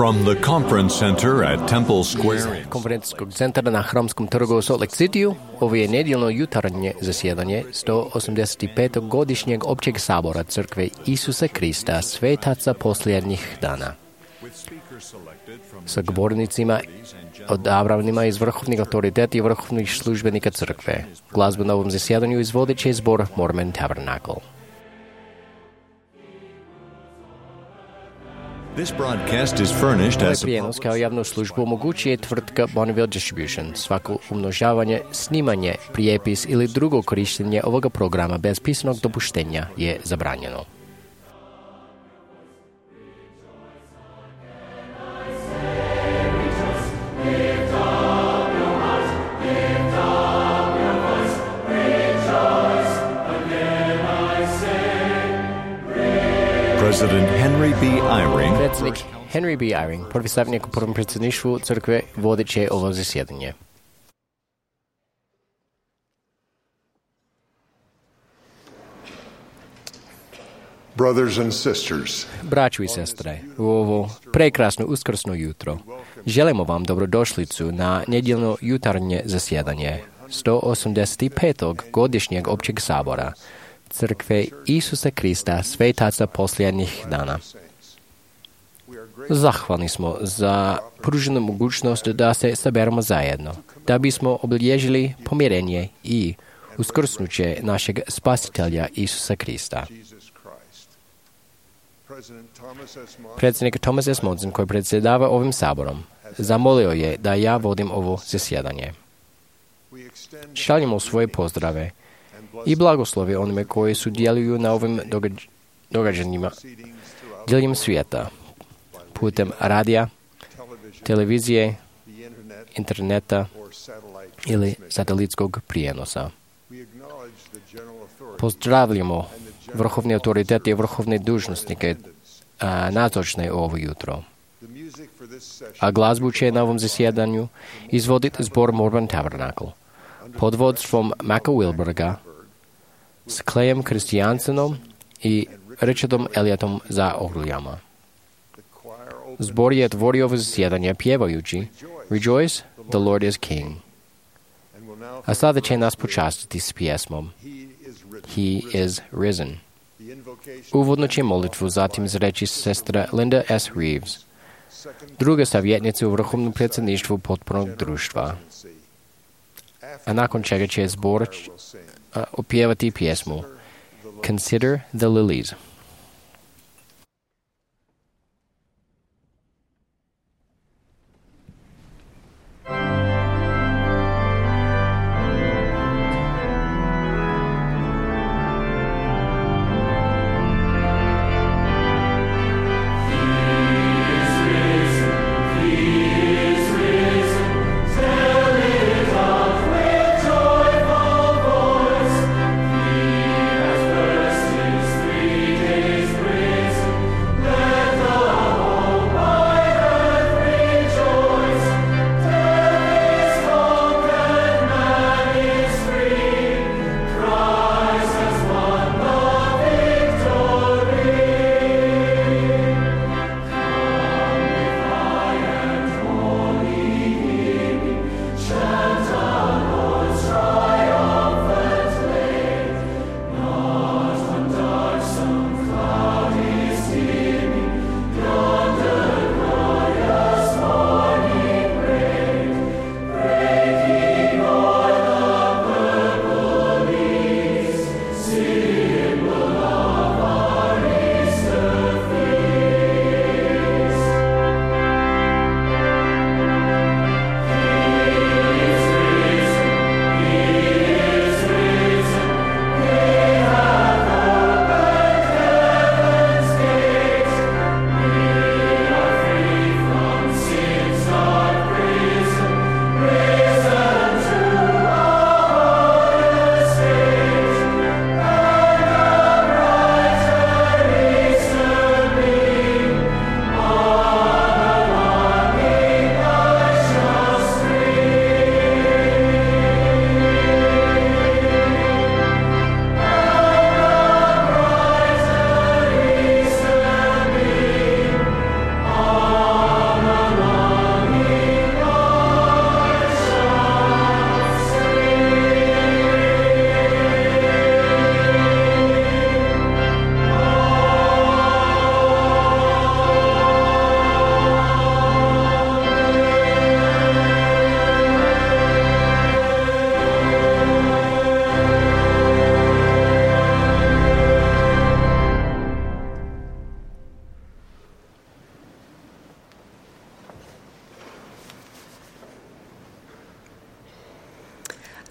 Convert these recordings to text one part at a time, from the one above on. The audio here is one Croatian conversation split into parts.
From the conference center at Temple Square. Конференцскog centra na Hramskom trgu u Salt Lake Cityu, ovo je nedjeljno jutarnje zasjedanje 185. godišnjeg općeg sabora Crkve Isusa Krista, svetaca posljednjih dana. Sa govornicima odabranima iz vrhovnih autoriteta i vrhovnih službenika crkve. Glazbu na ovom zasjedanju izvodit će zbor Mormon Tabernacle. This broadcast is furnished Ovaj as a prijenos kao javnu službu omogućuje tvrtka Bonneville Distribution. Svako umnožavanje, snimanje, prijepis ili drugo korištenje ovoga programa bez pisanog dopuštenja je zabranjeno. President Henry B. Eyring, Predsjednik Henry B. Eyring, prvi savjetnik u prvom predsjedništvu crkve, vodit će ovo zasjedanje. Brothers and sisters, Braćo i sestre, u ovo prekrasno uskrsno jutro želimo vam dobrodošlicu na nedjeljno jutarnje zasjedanje 185. godišnjeg općeg sabora Crkve Isusa Krista, svetaca posljednjih dana. Zahvalni smo za pruženu mogućnost da se saberemo zajedno, da bismo obilježili pomirenje i uskrsnuće našeg spasitelja Isusa Krista. Predsjednik Thomas S. Monson, koji predsjedava ovim saborom, zamolio je da ja vodim ovo zasjedanje. Šaljemo svoje pozdrave i blagoslove onime koji sudjeluju na ovim događanjima diljem svijeta, putem radija, televizije, interneta ili satelitskog prijenosa. Pozdravljamo vrhovne autoritete i vrhovne dužnosnike nazočne ovo jutro. A glazbu će na ovom zasjedanju izvoditi zbor Mormon Tabernacle pod vodstvom Maka Wilberga, s Clayem Christiansenom i Richardom Elliotom za orglijama. Zbor je otvorio ovo zasjedanje pjevajući Rejoice, the Lord is King. A sada će nas počastiti s pjesmom He is risen. Uvodno će molitvu zatim izreći sestra Linda S. Reeves, druga savjetnica u vrhovnom predsjedništvu potpornog društva. A nakon čega će zbor opjevati pjesmu Consider the Lilies. Three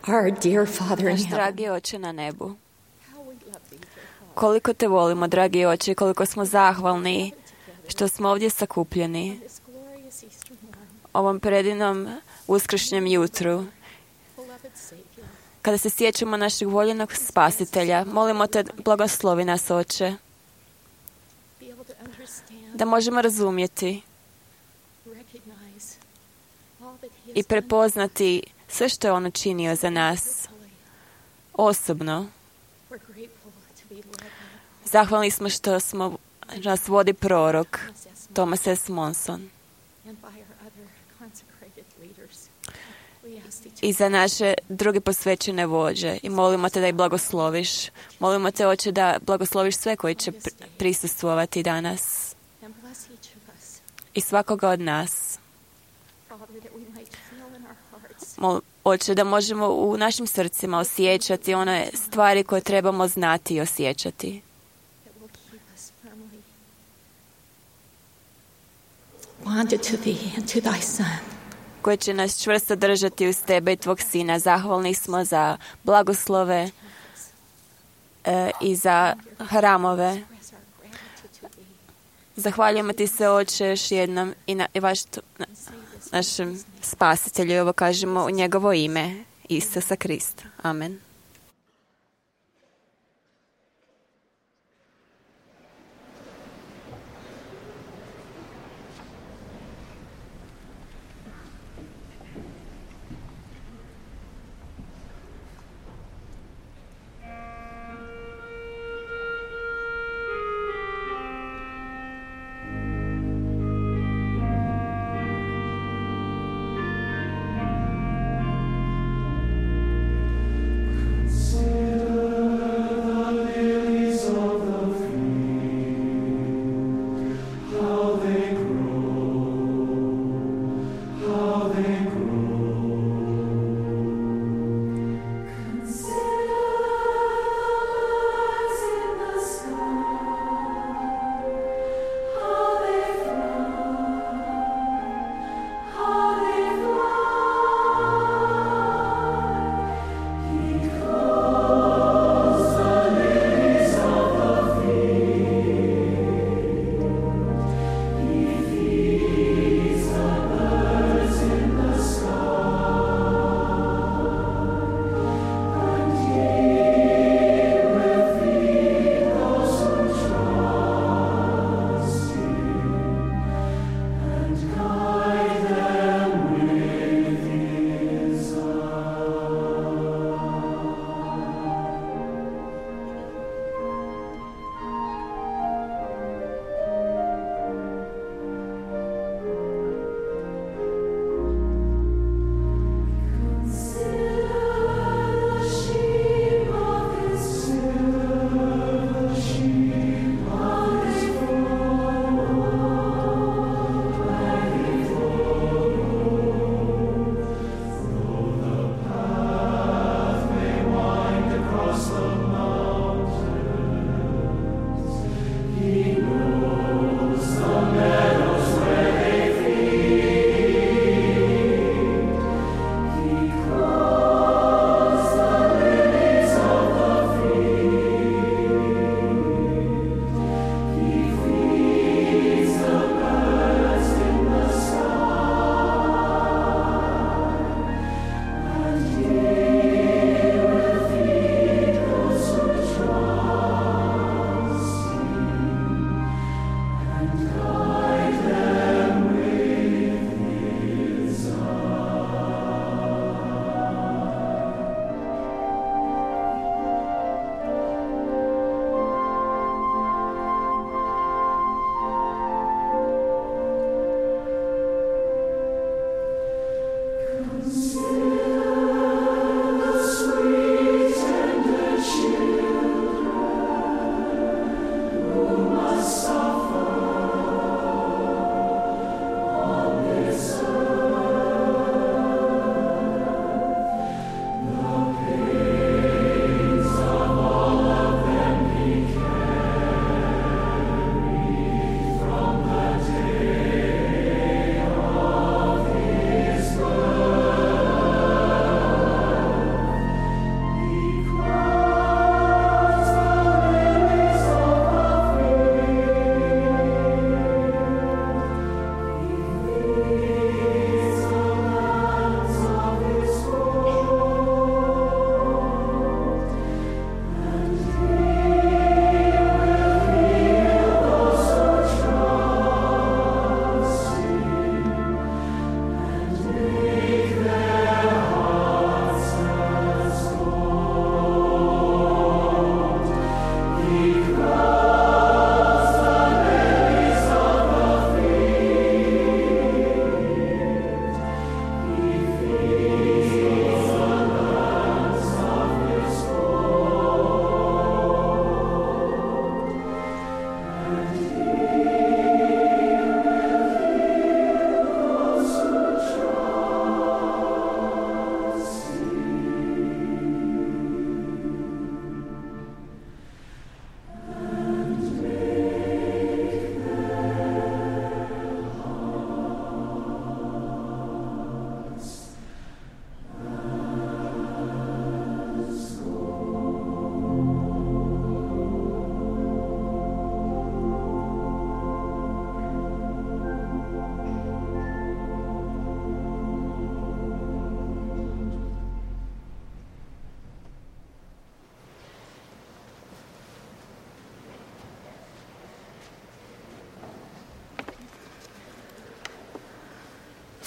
Our dear Father in Naš heaven, dragi Oče na nebu, koliko te volimo, dragi Oče, koliko smo zahvalni što smo ovdje sakupljeni ovom predivnom uskršnjem jutru. Kada se sjećamo našeg voljenog spasitelja, molimo te, blagoslovi nas, Oče, da možemo razumjeti i prepoznati sve što je on učinio za nas osobno. Zahvalni smo što nas vodi prorok Thomas S. Monson i za naše druge posvećene vođe. I molimo te da ih blagosloviš. Molimo te, Oče, da blagosloviš sve koji će prisustvovati danas i svakoga od nas. Oče, da možemo u našim srcima osjećati one stvari koje trebamo znati i osjećati. Koje će nas čvrsto držati uz tebe i tvog sina. Zahvalni smo za blagoslove i za hramove. Zahvaljujemo ti se, Oče, još jednom i našem spasitelju. I ovo kažemo u njegovo ime, Isusa Krista. Amen.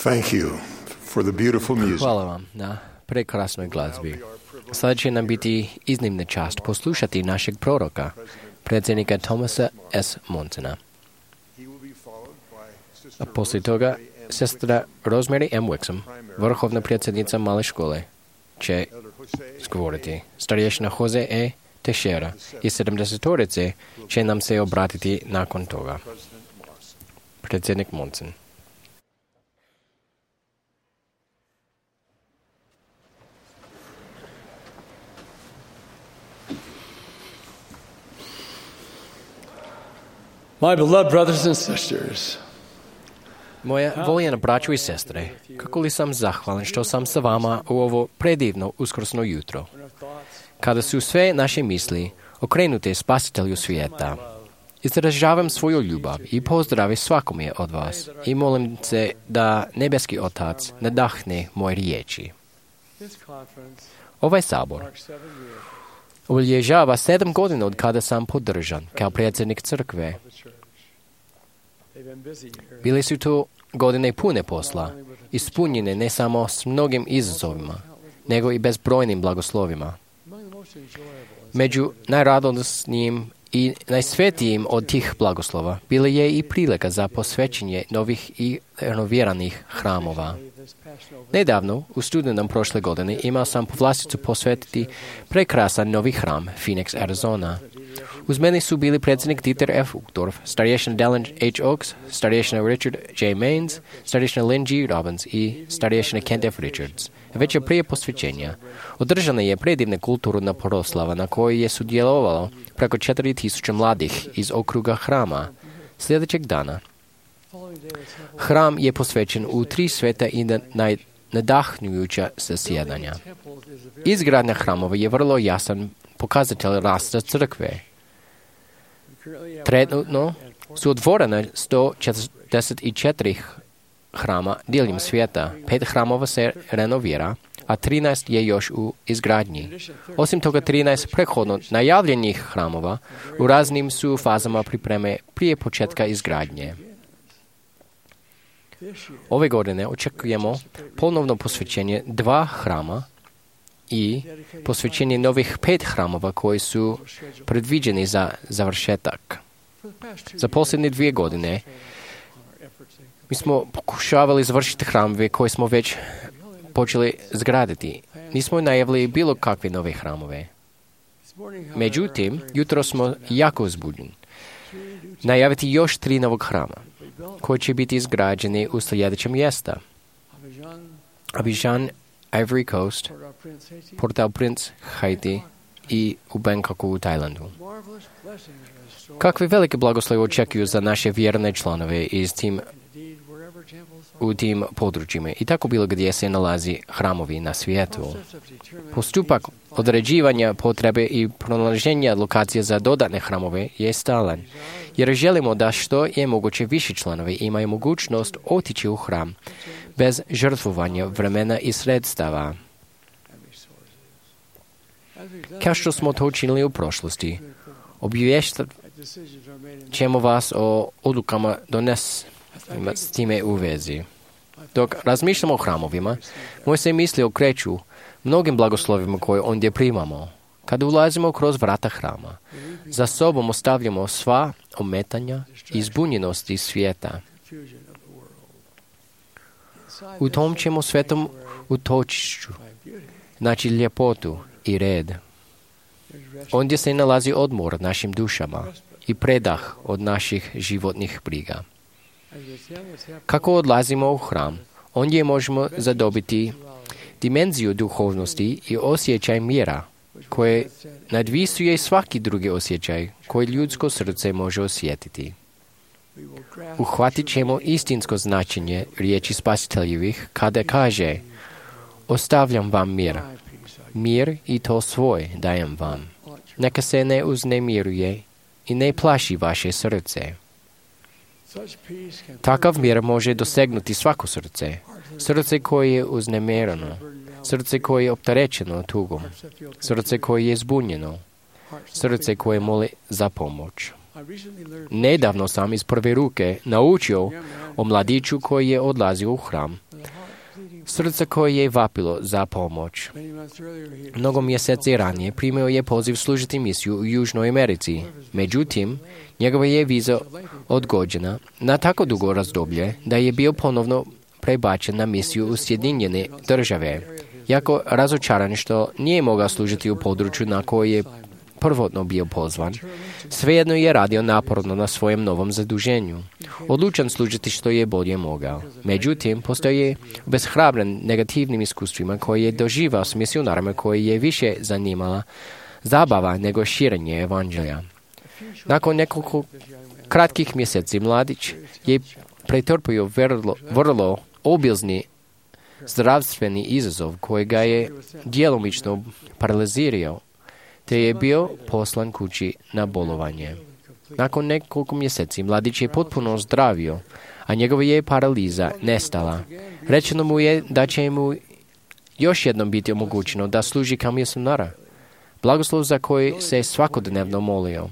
Thank you for the beautiful music. Hvala vam na prekrasnoj glazbi. Sada će nam biti iznimna čast poslušati našeg proroka, predsjednika Thomasa S. Monsona. A poslije toga sestra Rosemary M. Wixom, vrhovna predsjednica male škole, će govoriti. Starješina Jose E. Teixeira i 70-torice će nam se obratiti nakon toga. Predsjednik Monson. My beloved brothers and sisters, Moja voljena braćo i sestre, kako li sam zahvalan što sam sa vama u ovo predivno uskrsno jutro, kada su sve naše misli okrenute spasitelju svijeta. Izražavam svoju ljubav i pozdrave svakome od vas i molim se da nebeski Otac nadahne moje riječi. Ovaj sabor obilježava 7 godina od kada sam podržan kao predsjednik crkve. Bili su to godine pune posla, ispunjene ne samo s mnogim izazovima, nego i bezbrojnim blagoslovima. Među najradosnijim i najsvetijim od tih blagoslova bila je i prilika za posvećenje novih i renoviranih hramova. Nedavno, u studenom prošle godine, imao sam povlasticu posvetiti prekrasan novi hram Phoenix, Arizona. Uz mene su bili predsjednik Dieter F. Uchtdorf, starješina Dallin H. Oaks, starješina Richard J. Maines, starješina Lynn G. Robbins i starješina Kent F. Richards. Već prije posvećenja održana je predivna kulturna proslava na kojoj je sudjelovalo preko 4000 mladih iz okruga hrama. Sljedećeg dana hram je posvećen u 3 sveta i nadahnujuća zasjedanja. Izgradnja hramova je vrlo jasan pokazatelj rasta crkve. Trenutno su otvorena 144 hrama diljem svijeta, 5 hramova se renovira, a 13 je još u izgradnji. Osim toga, 13 prethodno najavljenih hramova u raznim su fazama pripreme prije početka izgradnje. Ove godine očekujemo ponovno posvećenje 2 hrama i posvećenje novih 5 hramova koji su predviđeni za završetak. Za posljednje 2 godine mi smo pokušavali završiti hramove koje smo već počeli zgraditi. Nismo najavili bilo kakve nove hramove. Međutim, jutro smo jako uzbuđeni najaviti još 3 novog hrama koji će biti izgrađeni u sljedeća mjesta: Abidjan, Ivory Coast, Port-au-Prince, Haiti i u Bangkoku u Tajlandu. Kakve velike blagoslove očekuju za naše vjerne članove u tim područjima i tako bilo gdje se nalazi hramovi na svijetu. Postupak određivanja potrebe i pronalaženja lokacije za dodatne hramove je stalan, jer želimo da što je moguće više članovi imaju mogućnost otići u hram bez žrtvovanja vremena i sredstava. Kao što smo to učinili u prošlosti, obaviještat ćemo vas o odlukama s time u vezi. Dok razmišljamo o hramovima, moje se misli okreću mnogim blagoslovima koje ondje primamo. Kada ulazimo kroz vrata hrama, za sobom ostavljamo sva ometanja i zbunjenosti svijeta. U tom ćemo svetom utočišću naći ljepotu i red. Ondje se nalazi odmor našim dušama i predah od naših životnih briga. Kako odlazimo u hram, ondje možemo zadobiti dimenziju duhovnosti i osjećaj mira, koje nadvisuje svaki drugi osjećaj koji ljudsko srce može osjetiti. Uhvatit ćemo istinsko značenje riječi spasiteljevih kada kaže: ostavljam vam mir. Mir i to svoj dajem vam. Neka se ne uznemiruje i ne plaši vaše srce. Takav mir može dosegnuti svako srce. Srce koje je uznemireno, srce koje je opterećeno tugom, srce koje je zbunjeno, srce koje moli za pomoć. Nedavno sam iz prve ruke naučio o mladiću koji je odlazio u hram Srce koje je vapilo za pomoć. Mnogo mjeseci ranije primio je poziv služiti misiju u Južnoj Americi. Međutim, njegova je viza odgođena na tako dugo razdoblje da je bio ponovno prebačen na misiju u Sjedinjene Države. Jako razočaran što nije mogao služiti u području na koje je prvotno bio pozvan, svejedno je radio naporno na svojem novom zaduženju. Odlučan služiti što je bolje mogao. Međutim, postoje obeshrabren negativnim iskustvima koje je doživao s misionarima koje je više zanimala zabava nego širenje evanđelja. Nakon nekoliko kratkih mjeseci mladić je pretrpio vrlo obilzni zdravstveni izazov koji ga je djelomično paralizirao, te je bio poslan kući na bolovanje. Nakon nekoliko mjeseci mladić je potpuno zdravio, a njegova je paraliza nestala. Rečeno mu je da će mu još jednom biti omogućeno da služi kao misionara, blagoslov za koji se svakodnevno molio.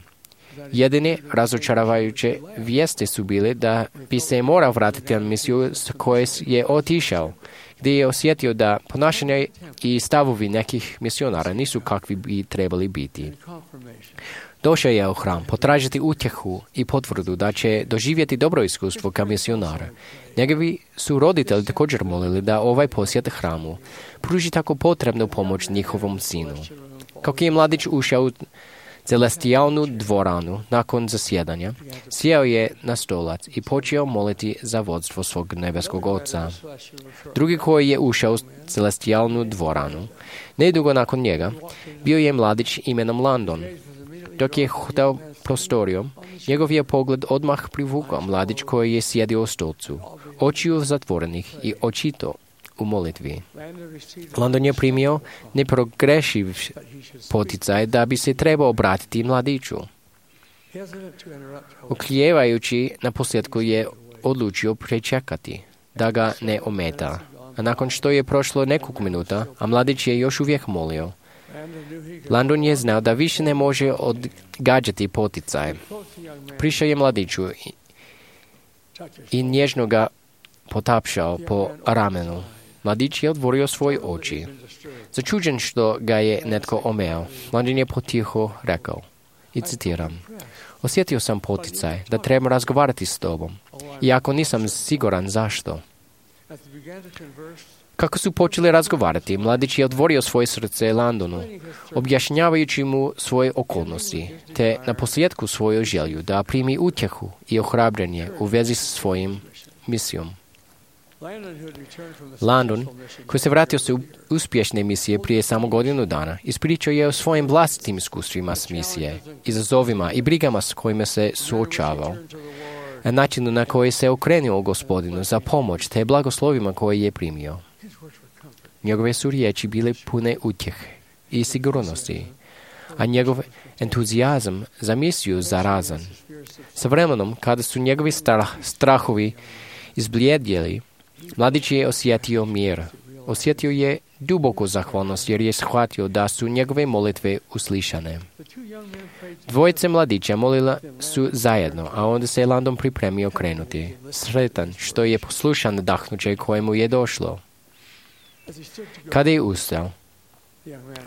Jedine razočaravajuće vijesti su bile da bi se morao vratiti na misiju s koje je otišao, gdje je osjetio da ponašanje i stavovi nekih misionara nisu kakvi bi trebali biti. Došao je u hram potražiti utjehu i potvrdu da će doživjeti dobro iskustvo kao misionara. Njegovi su roditelji također molili da ovaj posjet hramu pruži tako potrebnu pomoć njihovom sinu. Kako je mladić ušao u celestijalnu dvoranu nakon zasjedanja, sjeo je na stolac i počeo moliti za vodstvo svog nebeskog oca. Drugi koji je ušao u celestijalnu dvoranu, nedugo nakon njega, bio je mladić imenom Landon. Dok je hodao prostorijom, njegov je pogled odmah privukao mladić koji je sjedio u stolcu, očiju zatvorenih i očito u molitvi. Landon je primio neprogrešiv poticaj da bi se trebao obratiti mladiću. Oklijevajući, na posljedku je odlučio pričekati, da ga ne ometa. A nakon što je prošlo nekoliko minuta, a mladić je još uvijek molio, Landon je znao da više ne može odgađati poticaj. Prišao je mladiću i nježno ga potapšao po ramenu. Mladić je otvorio svoje oči. Začuđen što ga je netko omeo, Landon je potiho rekao, i citiram, osjetio sam poticaj da trebam razgovarati s tobom, iako nisam siguran zašto. Kako su počeli razgovarati, mladić je otvorio svoje srce Landonu, objašnjavajući mu svoje okolnosti, te na posljedku svoju želju da primi utjehu i ohrabrenje u vezi s svojim misijom. Landon, koji se vratio se uspješne misije prije samo godinu dana, ispričao je o svojim vlastitim iskustvima s misije, izazovima i brigama s kojima se suočavao, a načinu na koji se okrenuo Gospodinu za pomoć te blagoslovima koje je primio. Njegove su riječi bile pune utjehe i sigurnosti, a njegov entuzijazam za misiju zarazan. Sa vremenom, kada su njegovi strahovi izblijedjeli, mladić je osjetio mir. Osjetio je duboku zahvalnost jer je shvatio da su njegove molitve uslišane. Dvojice mladića molila su zajedno, a onda se Landon pripremio krenuti, sretan što je poslušan nadahnuće kojemu je došlo. Kada je ustao,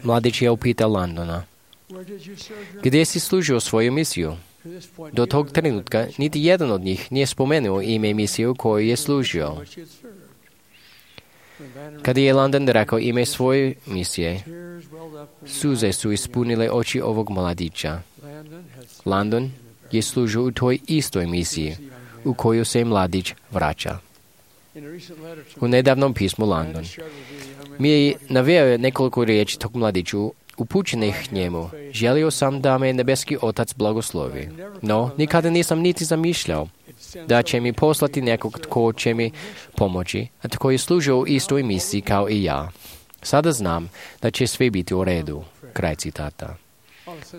mladić je upitao Landona, gdje si služio svoju misiju? Do tog trenutka niti jedan od njih nije spomenuo ime misije u kojoj je služio. Kada je Landon rekao ime svoje misije, suze su ispunile oči ovog mladića. Landon je služio u toj istoj misiji u koju se mladić vraća. U nedavnom pismu Landon mi je naveo nekoliko riječi tog mladiću upućenih njemu. Želio sam da me nebeski otac blagoslovi, no nikada nisam niti zamišljao da će mi poslati nekog tko će mi pomoći, a tko je služio u istoj misiji kao i ja. Sada znam da će sve biti u redu. Kraj citata.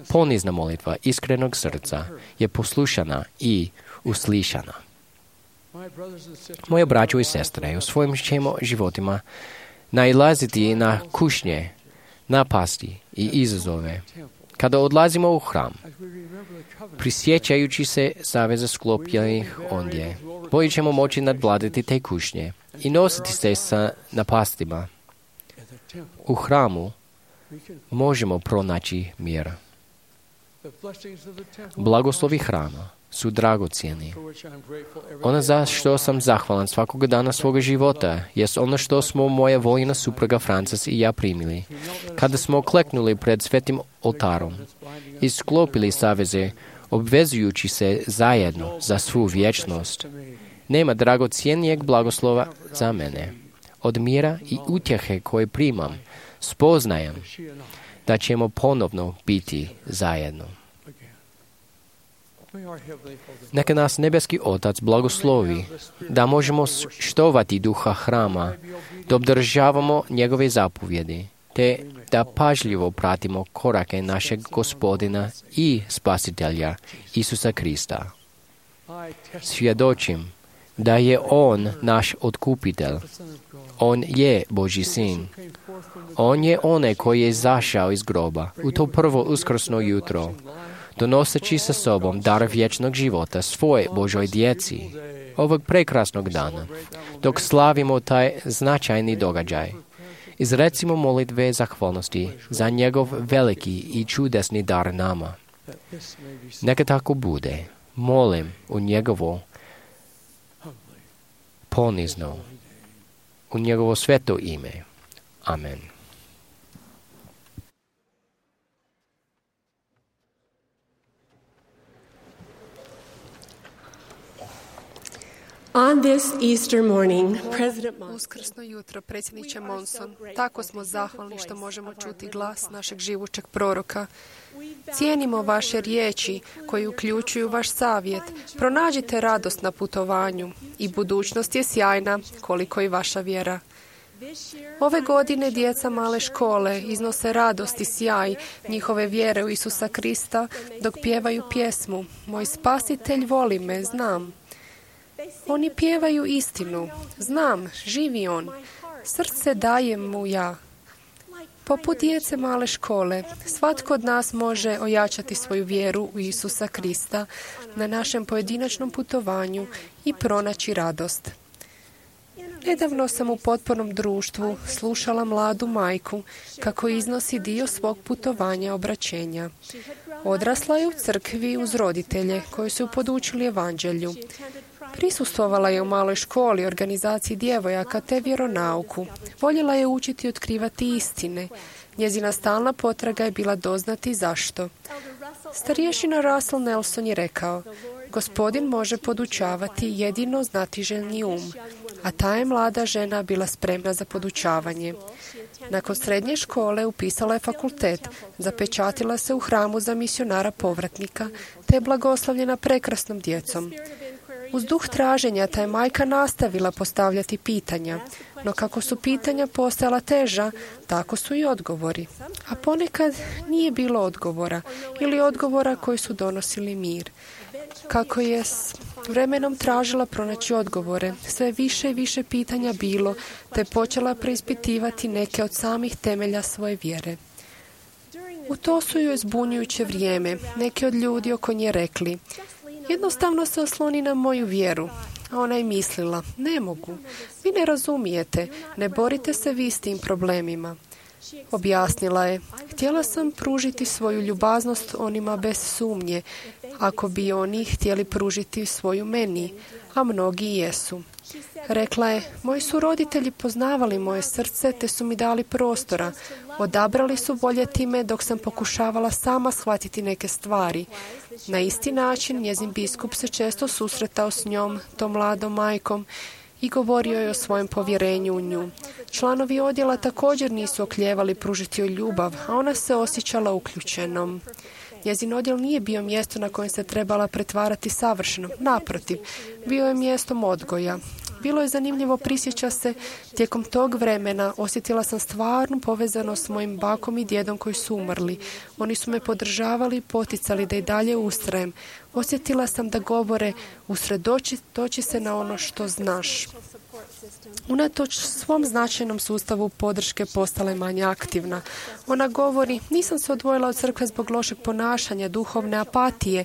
Ponizna molitva iskrenog srca je poslušana i uslišana. Moje braćo i sestre, u svojim ćemo životima nailaziti na kušnje, napasti i izazove. Kada odlazimo u hram, prisjećajući se saveza sklopljenih ondje, bolje ćemo moći nadvladati te kušnje i nositi se sa napastima. U hramu možemo pronaći mir. Blagoslovi hrama su dragocjeni. Ono za što sam zahvalan svakog dana svoga života jest ono što smo moja voljena supruga Frances i ja primili. Kada smo kleknuli pred svetim oltarom i sklopili saveze, obvezujući se zajedno za svu vječnost, nema dragocjenijeg blagoslova za mene. Od mira i utjehe koje primam, spoznajem da ćemo ponovno biti zajedno. Neka nas nebeski Otac blagoslovi da možemo štovati duha hrama, da obdržavamo njegove zapovjedi, te da pažljivo pratimo korake našeg Gospodina i Spasitelja Isusa Krista. Svjedočim da je On naš otkupitelj. On je Božji sin. On je onaj koji je izašao iz groba u to prvo uskrsno jutro, donoseći sa sobom dar vječnog života svoje Božoj djeci ovog prekrasnog dana, dok slavimo taj značajni događaj. Izrecimo molitve zahvalnosti za njegov veliki i čudesni dar nama. Neka tako bude. Molim u njegovo ponizno, u njegovo sveto ime. Amen. On this Easter morning, President Uskrsno jutro, predsjedniče Monson, tako smo zahvalni što možemo čuti glas našeg živućeg proroka. Cijenimo vaše riječi koji uključuju vaš savjet. Pronađite radost na putovanju i budućnost je sjajna koliko i vaša vjera. Ove godine djeca male škole iznose radost i sjaj njihove vjere u Isusa Krista dok pjevaju pjesmu Moj spasitelj voli me, znam. Oni pjevaju istinu. Znam, živi on. Srce dajem mu ja. Poput djece male škole, svatko od nas može ojačati svoju vjeru u Isusa Krista na našem pojedinačnom putovanju i pronaći radost. Nedavno sam u potpornom društvu slušala mladu majku kako iznosi dio svog putovanja obraćenja. Odrasla je u crkvi uz roditelje koji su podučili evanđelju. Prisustvovala je u maloj školi, organizaciji djevojaka te vjeronauku. Voljela je učiti i otkrivati istine. Njezina stalna potraga je bila doznati zašto. Starješina Russell Nelson je rekao, Gospodin može podučavati jedino znatiželjni um, a ta je mlada žena bila spremna za podučavanje. Nakon srednje škole upisala je fakultet, zapečatila se u hramu za misionara povratnika, te je blagoslovljena prekrasnom djecom. Uz duh traženja ta je majka nastavila postavljati pitanja, no kako su pitanja postajala teža, tako su i odgovori. A ponekad nije bilo odgovora ili odgovora koji su donosili mir. Kako je s vremenom tražila pronaći odgovore, sve više i više pitanja bilo, te je počela preispitivati neke od samih temelja svoje vjere. U to su joj zbunjujuće vrijeme. Neki od ljudi oko nje rekli, jednostavno se osloni na moju vjeru. A ona je mislila, ne mogu. Vi ne razumijete, ne borite se vi s tim problemima. Objasnila je, htjela sam pružiti svoju ljubaznost onima bez sumnje, ako bi oni htjeli pružiti svoju meni, a mnogi jesu. Rekla je, moji su roditelji poznavali moje srce te su mi dali prostora. Odabrali su voljeti me dok sam pokušavala sama shvatiti neke stvari. Na isti način njezin biskup se često susretao s njom, tom mladom majkom, i govorio je o svojem povjerenju u nju. Članovi odjela također nisu oklijevali pružiti joj ljubav, a ona se osjećala uključenom. Njezin odjel nije bio mjesto na kojem se trebala pretvarati savršeno. Naprotiv, bio je mjestom odgoja. Bilo je zanimljivo, prisjeća se, tijekom tog vremena osjetila sam stvarnu povezanost s mojim bakom i djedom koji su umrli. Oni su me podržavali i poticali da i dalje ustrajem. Osjetila sam da govore, usredotoči se na ono što znaš. Unatoč svom značajnom sustavu podrške postala je manje aktivna. Ona govori, nisam se odvojila od crkve zbog lošeg ponašanja, duhovne apatije,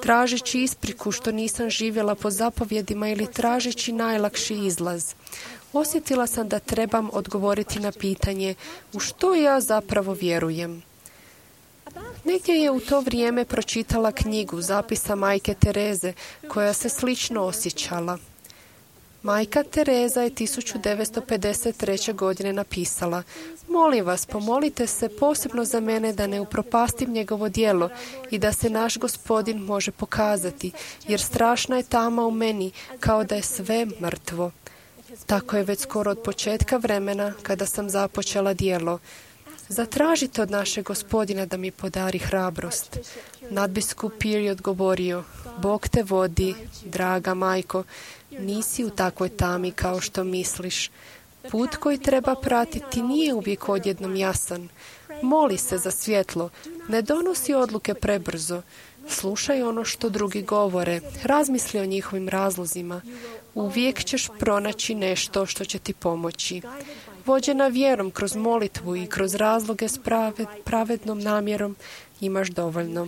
tražeći ispriku što nisam živjela po zapovjedima ili tražeći najlakši izlaz. Osjetila sam da trebam odgovoriti na pitanje u što ja zapravo vjerujem. Negdje je u to vrijeme pročitala knjigu zapisa majke Tereze, koja se slično osjećala. Majka Tereza je 1953. godine napisala: molim vas, pomolite se posebno za mene da ne upropastim njegovo djelo i da se naš Gospodin može pokazati, jer strašna je tama u meni, kao da je sve mrtvo. Tako je već skoro od početka vremena kada sam započela djelo. Zatražite od našeg Gospodina da mi podari hrabrost. Nadbiskup Peer je odgovorio: Bog te vodi, draga majko, nisi u takvoj tami kao što misliš. Put koji treba pratiti nije uvijek odjednom jasan. Moli se za svjetlo, ne donosi odluke prebrzo. Slušaj ono što drugi govore, razmisli o njihovim razlozima. Uvijek ćeš pronaći nešto što će ti pomoći. Vođena vjerom kroz molitvu i kroz razloge s pravednom namjerom imaš dovoljno.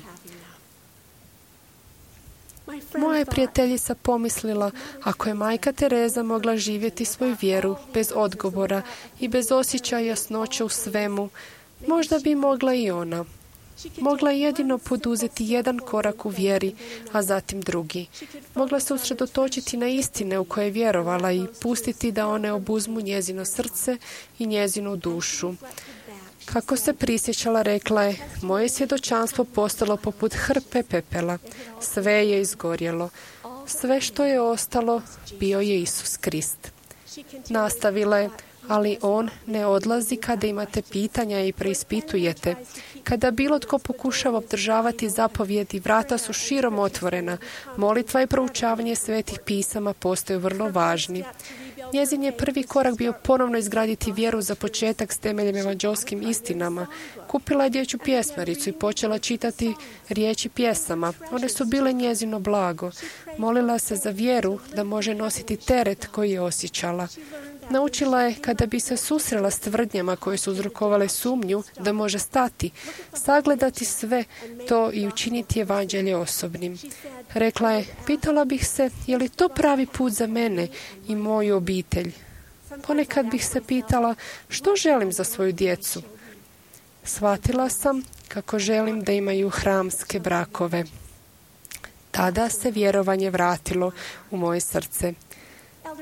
Moja je prijateljica pomislila, ako je majka Tereza mogla živjeti svoju vjeru bez odgovora i bez osjećaja jasnoće u svemu, možda bi mogla i ona. Mogla je jedino poduzeti jedan korak u vjeri, a zatim drugi. Mogla se usredotočiti na istine u koje je vjerovala i pustiti da one obuzmu njezino srce i njezinu dušu. Kako se prisjećala, rekla je: moje svjedočanstvo postalo poput hrpe pepela. Sve je izgorjelo. Sve što je ostalo bio je Isus Krist. Nastavila je: ali on ne odlazi kada imate pitanja i preispitujete. Kada bilo tko pokušava obdržavati zapovjedi, vrata su širom otvorena. Molitva i proučavanje svetih pisama postaju vrlo važni. Njezin je prvi korak bio ponovno izgraditi vjeru za početak s temeljem evanđelskim istinama. Kupila je dječju pjesmaricu i počela čitati riječi pjesama. One su bile njezino blago. Molila se za vjeru da može nositi teret koji je osjećala. Naučila je, kada bi se susrela s tvrdnjama koje su uzrokovale sumnju, da može stati, sagledati sve to i učiniti evanđelje osobnim. Rekla je: pitala bih se, je li to pravi put za mene i moju obitelj? Ponekad bih se pitala, što želim za svoju djecu? Shvatila sam kako želim da imaju hramske brakove. Tada se vjerovanje vratilo u moje srce.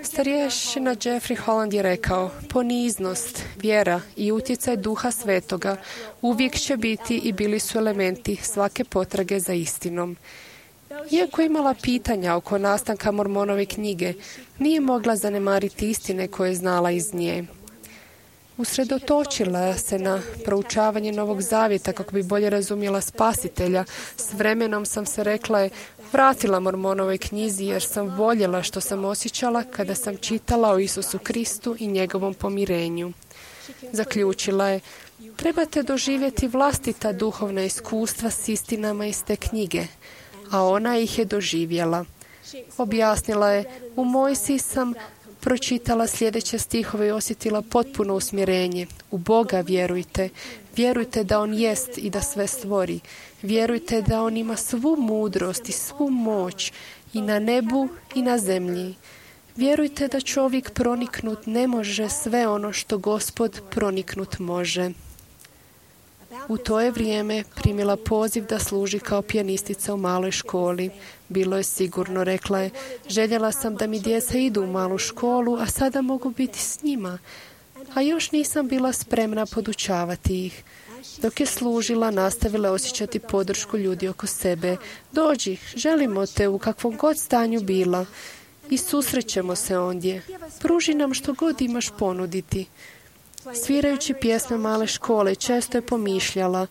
Starješina Jeffrey Holland je rekao: poniznost, vjera i utjecaj Duha Svetoga uvijek će biti i bili su elementi svake potrage za istinom. Iako je imala pitanja oko nastanka Mormonove knjige, nije mogla zanemariti istine koje je znala iz nje. Usredotočila se na proučavanje Novog Zavjeta kako bi bolje razumjela Spasitelja. S vremenom sam se, rekla je, vratila Mormonovoj knjizi jer sam voljela što sam osjećala kada sam čitala o Isusu Kristu i njegovom pomirenju. Zaključila je: trebate doživjeti vlastita duhovna iskustva s istinama iz te knjige, a ona ih je doživjela. Objasnila je: u Mojsiji sam pročitala sljedeće stihove i osjetila potpuno usmjerenje. U Boga vjerujte. Vjerujte da On jest i da sve stvori. Vjerujte da On ima svu mudrost i svu moć i na nebu i na zemlji. Vjerujte da čovjek proniknut ne može sve ono što Gospod proniknut može. U to je vrijeme primila poziv da služi kao pijanistica u maloj školi. Bilo je sigurno, rekla je: željela sam da mi djeca idu u malu školu, a sada mogu biti s njima. A još nisam bila spremna podučavati ih. Dok je služila, nastavila osjećati podršku ljudi oko sebe. Dođi, želimo te u kakvom god stanju bila. I susrećemo se ondje. Pruži nam što god imaš ponuditi. Svirajući pjesme male škole, često je pomišljala: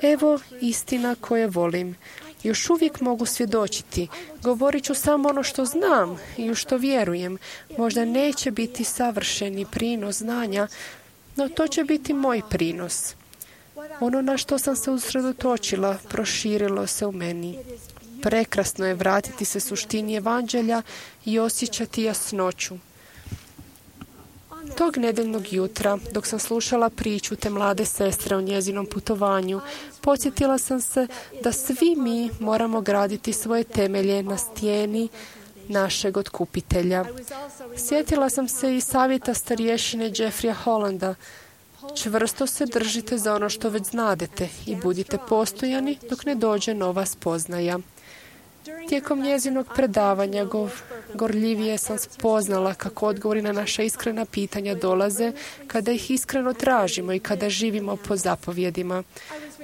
evo istina koje volim. Još uvijek mogu svjedočiti. Govorit ću samo ono što znam i u što vjerujem. Možda neće biti savršeni prinos znanja, no to će biti moj prinos. Ono na što sam se usredotočila proširilo se u meni. Prekrasno je vratiti se suštini evanđelja i osjećati jasnoću. Tog nedeljnog jutra, dok sam slušala priču te mlade sestre o njezinom putovanju, podsjetila sam se da svi mi moramo graditi svoje temelje na stijeni našeg otkupitelja. Sjetila sam se i savjeta starješine Jeffreya Hollanda. Čvrsto se držite za ono što već znadete i budite postojani dok ne dođe nova spoznaja. Tijekom njezinog predavanja gorljivije sam spoznala kako odgovori na naša iskrena pitanja dolaze kada ih iskreno tražimo i kada živimo po zapovjedima.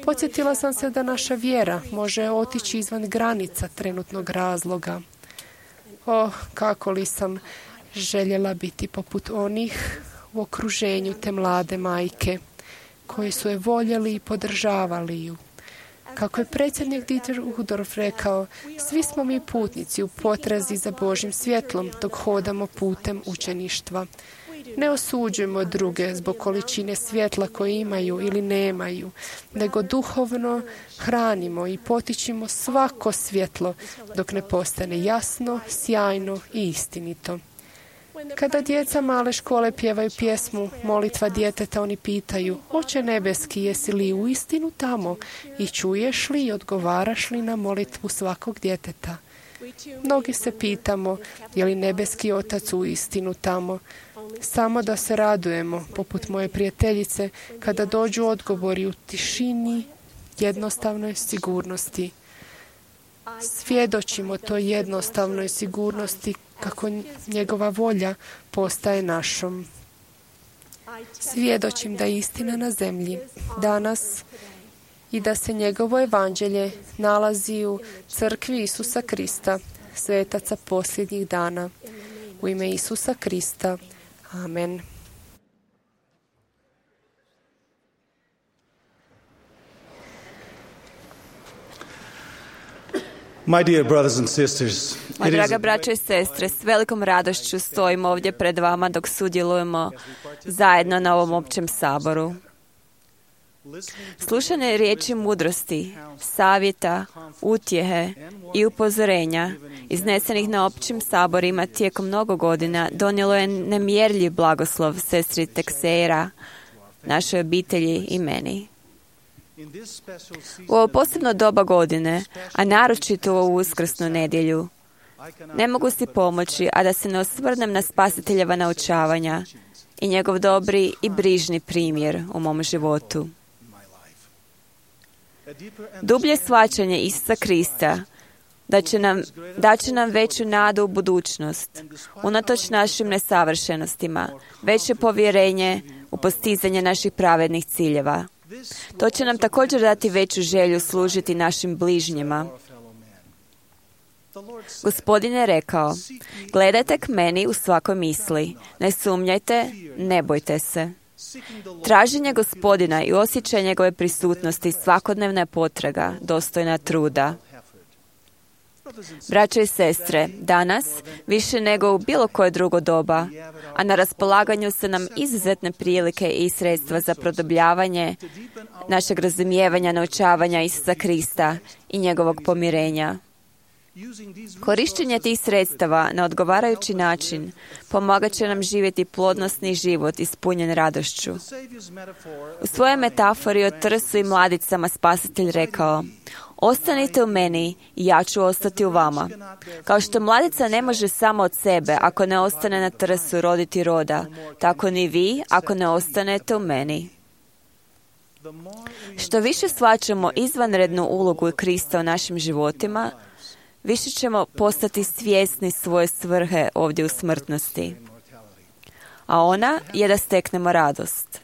Podsjetila sam se da naša vjera može otići izvan granica trenutnog razloga. Kako li sam željela biti poput onih u okruženju te mlade majke, koji su je voljeli i podržavali ju. Kako je predsjednik Dieter Uchtdorf rekao, svi smo mi putnici u potrazi za Božjim svjetlom dok hodamo putem učeništva. Ne osuđujemo druge zbog količine svjetla koje imaju ili nemaju, nego duhovno hranimo i potičimo svako svjetlo dok ne postane jasno, sjajno i istinito. Kada djeca male škole pjevaju pjesmu Molitva djeteta, oni pitaju: Oče nebeski, jesi li uistinu tamo i čuješ li i odgovaraš li na molitvu svakog djeteta? Mnogi se pitamo, je li nebeski otac uistinu tamo? Samo da se radujemo, poput moje prijateljice, kada dođu odgovori u tišini, jednostavnoj sigurnosti. Svjedočimo toj jednostavnoj sigurnosti kako njegova volja postaje našom. Svjedočim da je istina na zemlji danas i da se njegovo evanđelje nalazi u crkvi Isusa Krista, svetaca posljednjih dana. U ime Isusa Krista. Amen. My dear brothers and sisters, Moja draga braćo i sestre, s velikom radošću stojimo ovdje pred vama dok sudjelujemo zajedno na ovom općem saboru. Slušanje riječi mudrosti, savjeta, utjehe i upozorenja iznesenih na općim saborima tijekom mnogo godina donijelo je nemjerljiv blagoslov sestri Teixeira, našoj obitelji i meni. U ovo posebno doba godine, a naročito u ovu uskrsnu nedjelju, ne mogu si pomoći, a da se ne osvrnem na Spasiteljeva naučavanja i njegov dobri i brižni primjer u mom životu. Dublje shvaćanje Isusa Krista da će nam veću nadu u budućnost, unatoč našim nesavršenostima, veće povjerenje u postizanje naših pravednih ciljeva. To će nam također dati veću želju služiti našim bližnjima. Gospodin je rekao: gledajte k meni u svakoj misli, ne sumnjajte, ne bojte se. Traženje Gospodina i osjećaj njegove prisutnosti svakodnevna je potraga, dostojna truda. Braćo i sestre, danas, više nego u bilo koje drugo doba, a na raspolaganju su nam izuzetne prilike i sredstva za produbljavanje našeg razumijevanja, naučavanja Isusa Krista i njegovog pomirenja. Korištenje tih sredstava na odgovarajući način pomagat će nam živjeti plodnosni život ispunjen radošću. U svojoj metafori o trsu i mladicama Spasitelj rekao: ostanite u meni i ja ću ostati u vama. Kao što mladica ne može samo od sebe, ako ne ostane na trsu, roditi roda, tako ni vi ako ne ostanete u meni. Što više shvaćamo izvanrednu ulogu Krista u našim životima, više ćemo postati svjesni svoje svrhe ovdje u smrtnosti. A ona je da steknemo radost.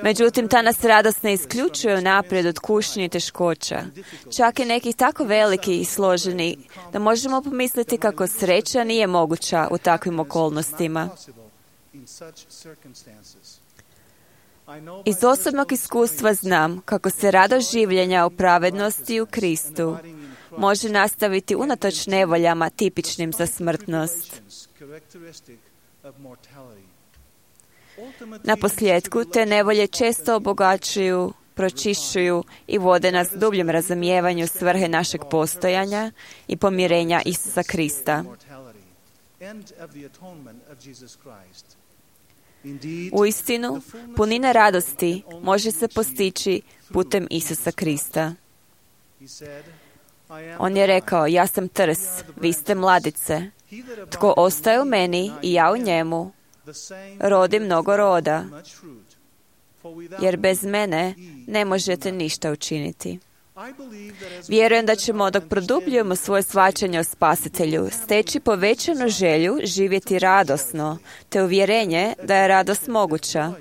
Međutim, ta nas radost ne isključuje unaprijed od kušnje i teškoća, čak i nekih tako veliki i složeni, da možemo pomisliti kako sreća nije moguća u takvim okolnostima. Iz osobnog iskustva znam kako se radost življenja u pravednosti u Kristu može nastaviti unatoč nevoljama tipičnim za smrtnost. Na posljedku, te nevolje često obogaćuju, pročišćuju i vode nas dubljem razumijevanju svrhe našeg postojanja i pomirenja Isusa Krista. Uistinu, punina radosti može se postići putem Isusa Krista. On je rekao: ja sam trs, vi ste mladice, Tko ostaje u meni i ja u njemu, rodi mnogo roda, jer bez mene ne možete ništa učiniti. Vjerujem da ćemo, dok produbljujemo svoje shvaćanje o Spasitelju, steći povećanu želju živjeti radosno, te uvjerenje da je radost moguća.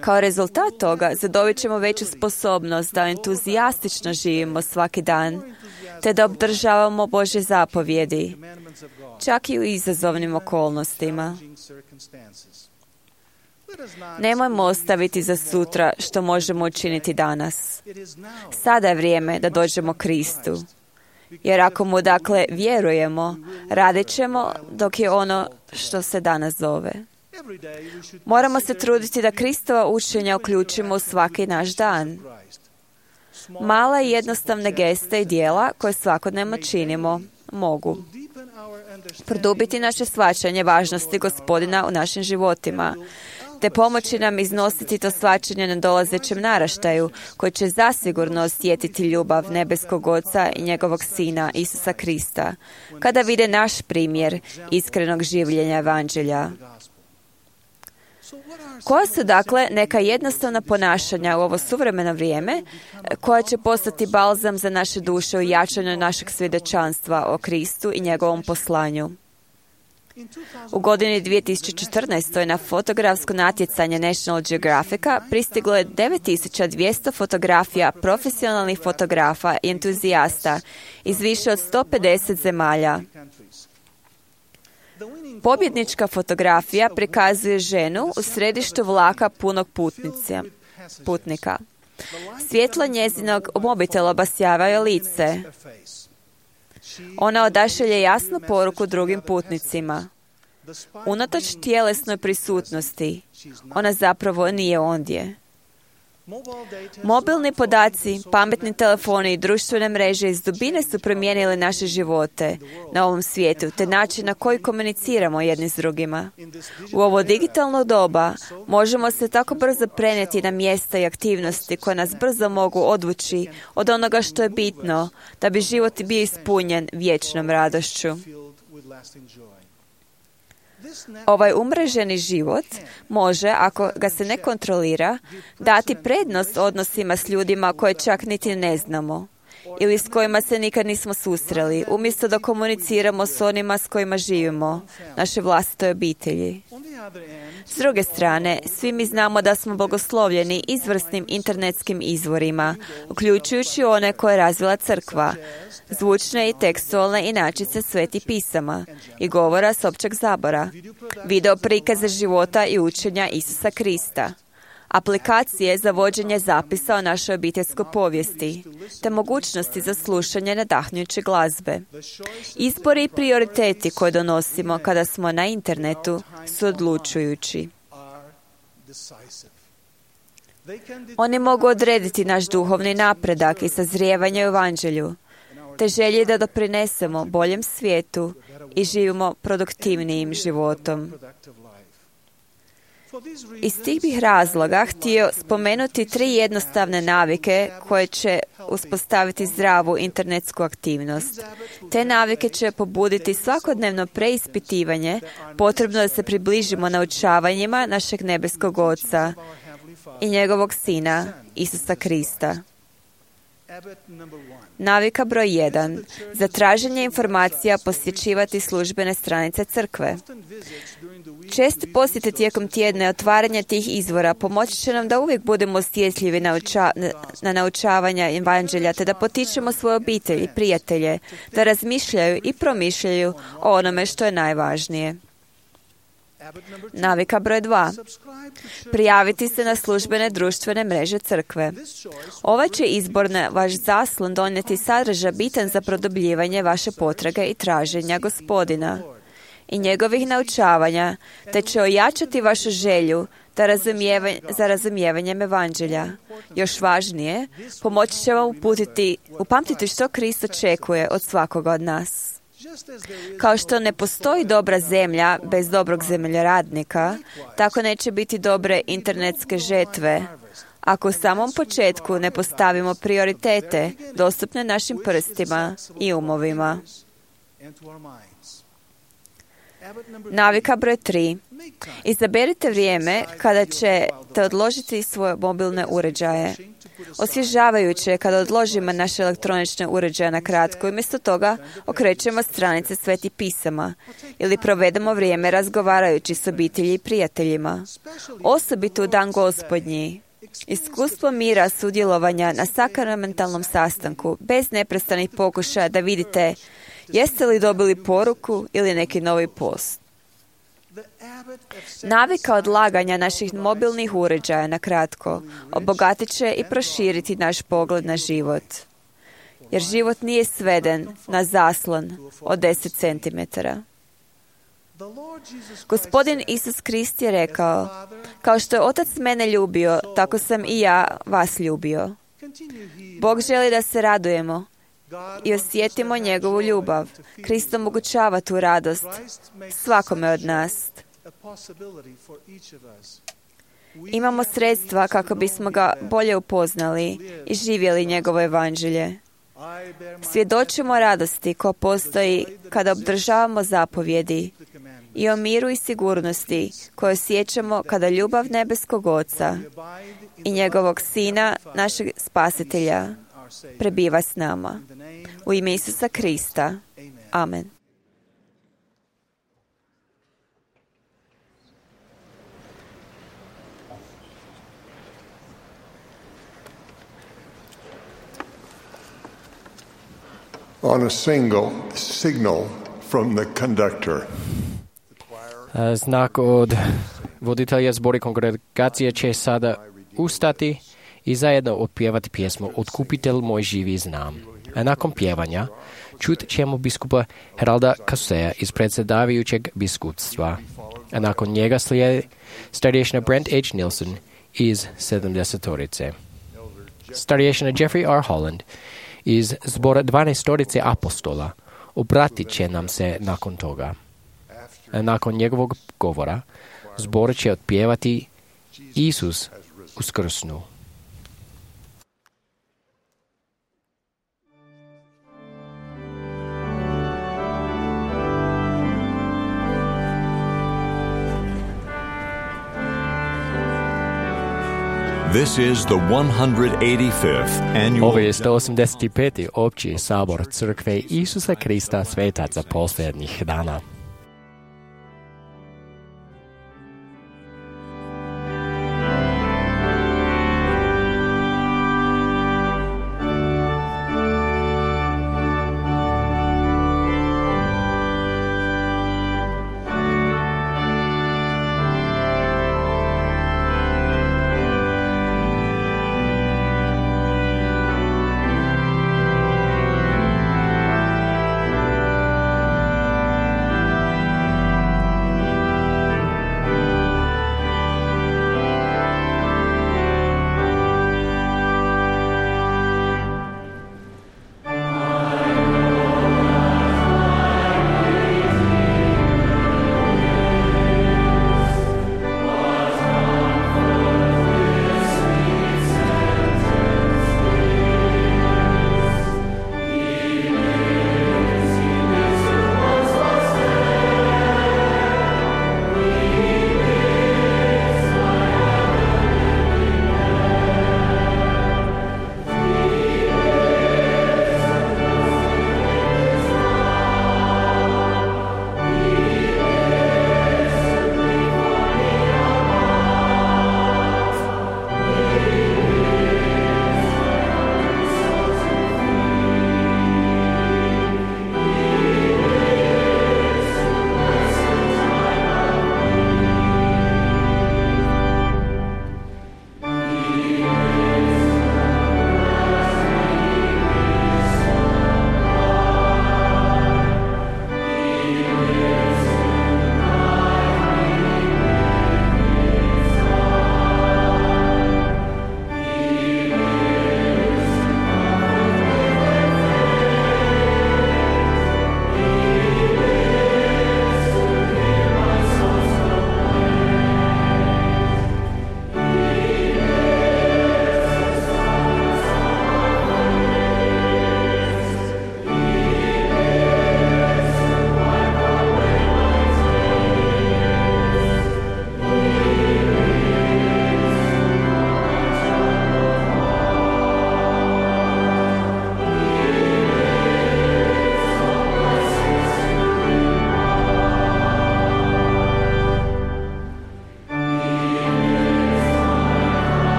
Kao rezultat toga zadobit ćemo veću sposobnost da entuzijastično živimo svaki dan, te da obdržavamo Božje zapovjedi, čak i u izazovnim okolnostima. Nemojmo ostaviti za sutra što možemo učiniti danas. Sada je vrijeme da dođemo Kristu. Jer ako mu dakle vjerujemo, radit ćemo dok je ono što se danas zove. Moramo se truditi da Kristova učenja uključimo u svaki naš dan. Male i jednostavne geste i djela koje svakodnevno činimo mogu produbiti naše shvaćanje važnosti Gospodina u našim životima, te pomoći nam iznositi to shvaćanje na dolazećem naraštaju, koji će zasigurno osjetiti ljubav nebeskog Oca i njegovog Sina, Isusa Krista, kada vide naš primjer iskrenog življenja evanđelja. Koja su dakle neka jednostavna ponašanja u ovo suvremeno vrijeme koja će postati balzam za naše duše u jačanju našeg svjedočanstva o Kristu i njegovom poslanju? U godini 2014. na fotografsko natjecanje National Geographica pristiglo je 9200 fotografija profesionalnih fotografa i entuzijasta iz više od 150 zemalja. Pobjednička fotografija prikazuje ženu u središtu vlaka punog putnika. Svjetlo njezinog mobitela obasjava joj lice. Ona odašilje jasnu poruku drugim putnicima. Unatoč tjelesnoj prisutnosti, ona zapravo nije ondje. Mobilni podaci, pametni telefoni i društvene mreže iz dubine su promijenili naše živote na ovom svijetu, te način na koji komuniciramo jedni s drugima. U ovo digitalno doba možemo se tako brzo prenijeti na mjesta i aktivnosti koje nas brzo mogu odvući od onoga što je bitno, da bi život bio ispunjen vječnom radošću. Ovaj umreženi život može, ako ga se ne kontrolira, dati prednost odnosima s ljudima koje čak niti ne znamo ili s kojima se nikad nismo susreli, umjesto da komuniciramo s onima s kojima živimo, naše vlastitoj obitelji. S druge strane, svi mi znamo da smo blagoslovljeni izvrsnim internetskim izvorima, uključujući one koje je razvila crkva, zvučne i tekstualne inačice svetih pisama i govora s općeg zabora, video prikaze života i učenja Isusa Krista, aplikacije za vođenje zapisa o našoj obiteljskoj povijesti, te mogućnosti za slušanje nadahnjuće glazbe. Izbori i prioriteti koje donosimo kada smo na internetu su odlučujući. Oni mogu odrediti naš duhovni napredak i sazrijevanje u evanđelju, te želje da doprinesemo boljem svijetu i živimo produktivnijim životom. Iz tih bih razloga htio spomenuti 3 jednostavne navike koje će uspostaviti zdravu internetsku aktivnost. Te navike će pobuditi svakodnevno preispitivanje, potrebno da se približimo naučavanjima našeg nebeskog Oca i njegovog Sina, Isusa Krista. Navika broj 1. Za traženje informacija posjećivati službene stranice crkve. Česti posjete tijekom tjedna i otvaranje tih izvora pomoći će nam da uvijek budemo osjetljivi na naučavanja evanđelja, te da potičemo svoje obitelji, prijatelje, da razmišljaju i promišljaju o onome što je najvažnije. Navika broj 2. Prijaviti se na službene društvene mreže crkve. Ovaj će izbor na vaš zaslon donijeti sadržaj bitan za produbljivanje vaše potrage i traženja Gospodina i njegovih naučavanja, te će ojačati vašu želju za razumijevanjem evanđelja. Još važnije, pomoći će vam upamtiti što Krist očekuje od svakoga od nas. Kao što ne postoji dobra zemlja bez dobrog zemljoradnika, tako neće biti dobre internetske žetve, ako u samom početku ne postavimo prioritete dostupne našim prstima i umovima. Navika broj 3. Izaberite vrijeme kada ćete odložiti svoje mobilne uređaje. Osvježavajuće je kada odložimo naše elektronične uređaje na kratko i umjesto toga okrećemo stranice Svetih pisama ili provedemo vrijeme razgovarajući s obitelji i prijateljima. Osobito u dan Gospodnji. Iskustvo mira sudjelovanja na sakramentalnom sastanku bez neprestanih pokušaja da vidite jeste li dobili poruku ili neki novi post. Navika odlaganja naših mobilnih uređaja na kratko obogatit će i proširiti naš pogled na život. Jer život nije sveden na zaslon od 10 centimetara. Gospodin Isus Krist je rekao, kao što je Otac mene ljubio, tako sam i ja vas ljubio. Bog želi da se radujemo i osjetimo njegovu ljubav. Krist omogućava tu radost svakome od nas. Imamo sredstva kako bismo ga bolje upoznali i živjeli njegovo evanđelje. Svjedočimo radosti koja postoji kada obdržavamo zapovjedi i o miru i sigurnosti koje osjećamo kada ljubav nebeskog Oca i njegovog Sina, našeg Spasitelja, prebiva s nama. U ime Isusa Krista. Amen. On a signal from the conductor. Znak od voditelja zbora kongregacije će sada ustati i zajedno otpjevati pjesmu Otkupitelj moj živi znam. A nakon pjevanja čut ćemo biskupa Heralda Kaseja iz predsjedavajućeg biskupstva. A nakon njega slijedi starješina Brent H. Nilsson iz 70-torice. Starješina Jeffrey R. Holland iz zbora 12-torice apostola obratit će nam se nakon toga. A nakon njegovog govora zbor će otpjevati Isus uskrsnu. This is the 185th annual. Ovo je 185. opći sabor crkve Isusa Krista svetaca posljednjih dana.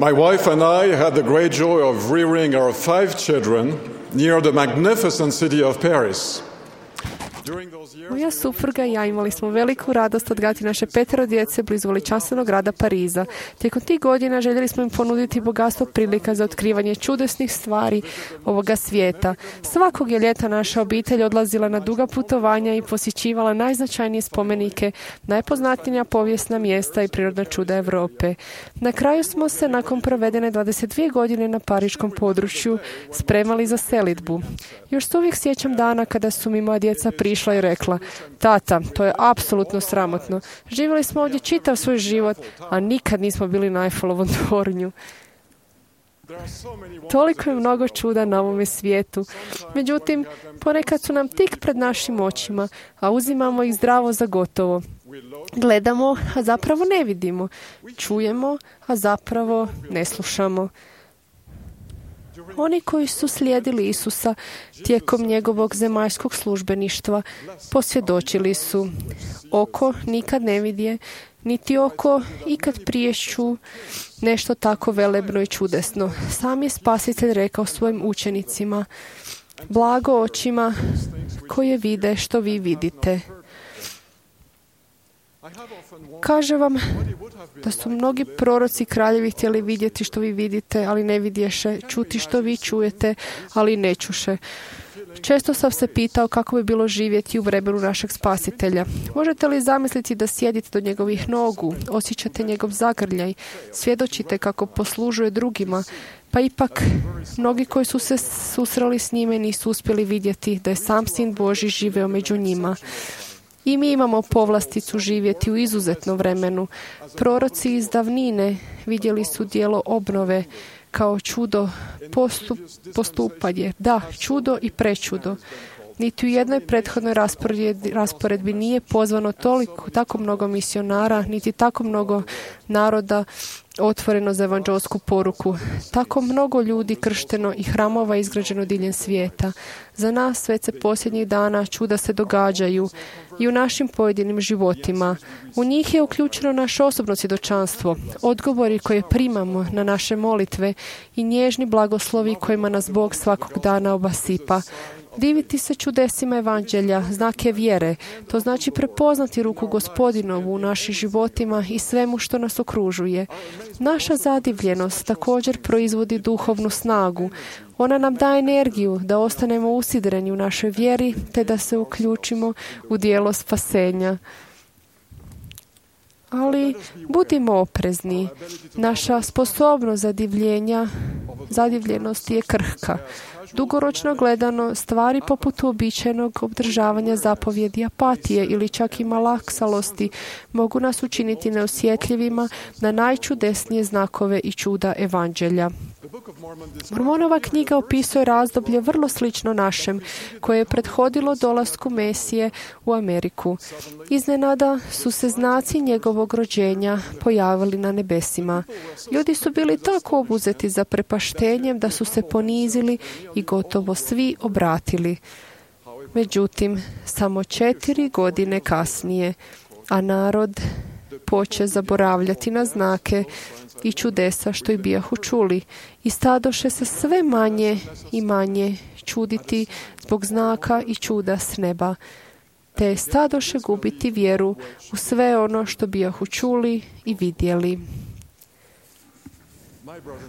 My wife and I had the great joy of rearing our 5 children near the magnificent city of Paris. Moja supruga i ja imali smo veliku radost odgajati naše 5 djece blizu veličanstvenog grada Pariza. Tijekom tih godina željeli smo im ponuditi bogatstvo prilika za otkrivanje čudesnih stvari ovoga svijeta. Svakog je ljeta naša obitelj odlazila na duga putovanja i posjećivala najznačajnije spomenike, najpoznatija povijesna mjesta i prirodna čuda Europe. Na kraju smo se, nakon provedene 22 godine na pariškom području, spremali za selidbu. Još se uvijek sjećam dana kada su mi moja djeca prišla i rekla: tata, to je apsolutno sramotno. Živjeli smo ovdje čitav svoj život, a nikad nismo bili na Eiffelovom tornju. Toliko je mnogo čuda na ovome svijetu. Međutim, ponekad su nam tik pred našim očima, a uzimamo ih zdravo za gotovo. Gledamo, a zapravo ne vidimo. Čujemo, a zapravo ne slušamo. Oni koji su slijedili Isusa tijekom njegovog zemaljskog službeništva posvjedočili su: oko nikad ne vidje, niti oko ikad prije ču nešto tako velebno i čudesno. Sam je Spasitelj rekao svojim učenicima: blago očima koje vide što vi vidite. Kaže vam da su mnogi proroci kraljevi htjeli vidjeti što vi vidite, ali ne vidješe, čuti što vi čujete, ali ne čuše. Često sam se pitao kako bi bilo živjeti u vremenu našeg Spasitelja. Možete li zamisliti da sjedite do njegovih nogu, osjećate njegov zagrljaj, svjedočite kako poslužuje drugima, pa ipak mnogi koji su se susreli s njime nisu uspjeli vidjeti da je sam Sin Božji živeo među njima. I mi imamo povlasticu živjeti u izuzetnom vremenu. Proroci iz davnine vidjeli su djelo obnove kao čudo postupanje. Da, čudo i prečudo. Niti u jednoj prethodnoj rasporedbi nije pozvano tako mnogo misionara, niti tako mnogo naroda otvoreno za evanđelsku poruku. Tako mnogo ljudi kršteno i hramova izgrađeno diljem svijeta. Za nas već se posljednjih dana čuda se događaju i u našim pojedinim životima. U njih je uključeno naše osobno svjedočanstvo, odgovori koje primamo na naše molitve i nježni blagoslovi kojima nas Bog svakog dana obasipa. Diviti se čudesima evanđelja, znake vjere, to znači prepoznati ruku Gospodinovu u našim životima i svemu što nas okružuje. Naša zadivljenost također proizvodi duhovnu snagu. Ona nam daje energiju da ostanemo usidreni u našoj vjeri te da se uključimo u djelo spasenja. Ali budimo oprezni. Naša sposobnost zadivljenosti je krhka. Dugoročno gledano, stvari poput uobičajenog obdržavanja zapovjedi apatije ili čak i malaksalosti mogu nas učiniti neosjetljivima na najčudesnije znakove i čuda evanđelja. Mormonova knjiga opisuje razdoblje vrlo slično našem, koje je prethodilo dolasku Mesije u Ameriku. Iznenada su se znaci njegovog rođenja pojavili na nebesima. Ljudi su bili tako obuzeti zaprepaštenjem da su se ponizili i gotovo svi obratili. Međutim, samo 4 godine kasnije, a narod poče zaboravljati na znake i čudesa što i bijahu čuli i stadoše se sve manje i manje čuditi zbog znaka i čuda s neba, te stadoše gubiti vjeru u sve ono što bijahu čuli i vidjeli.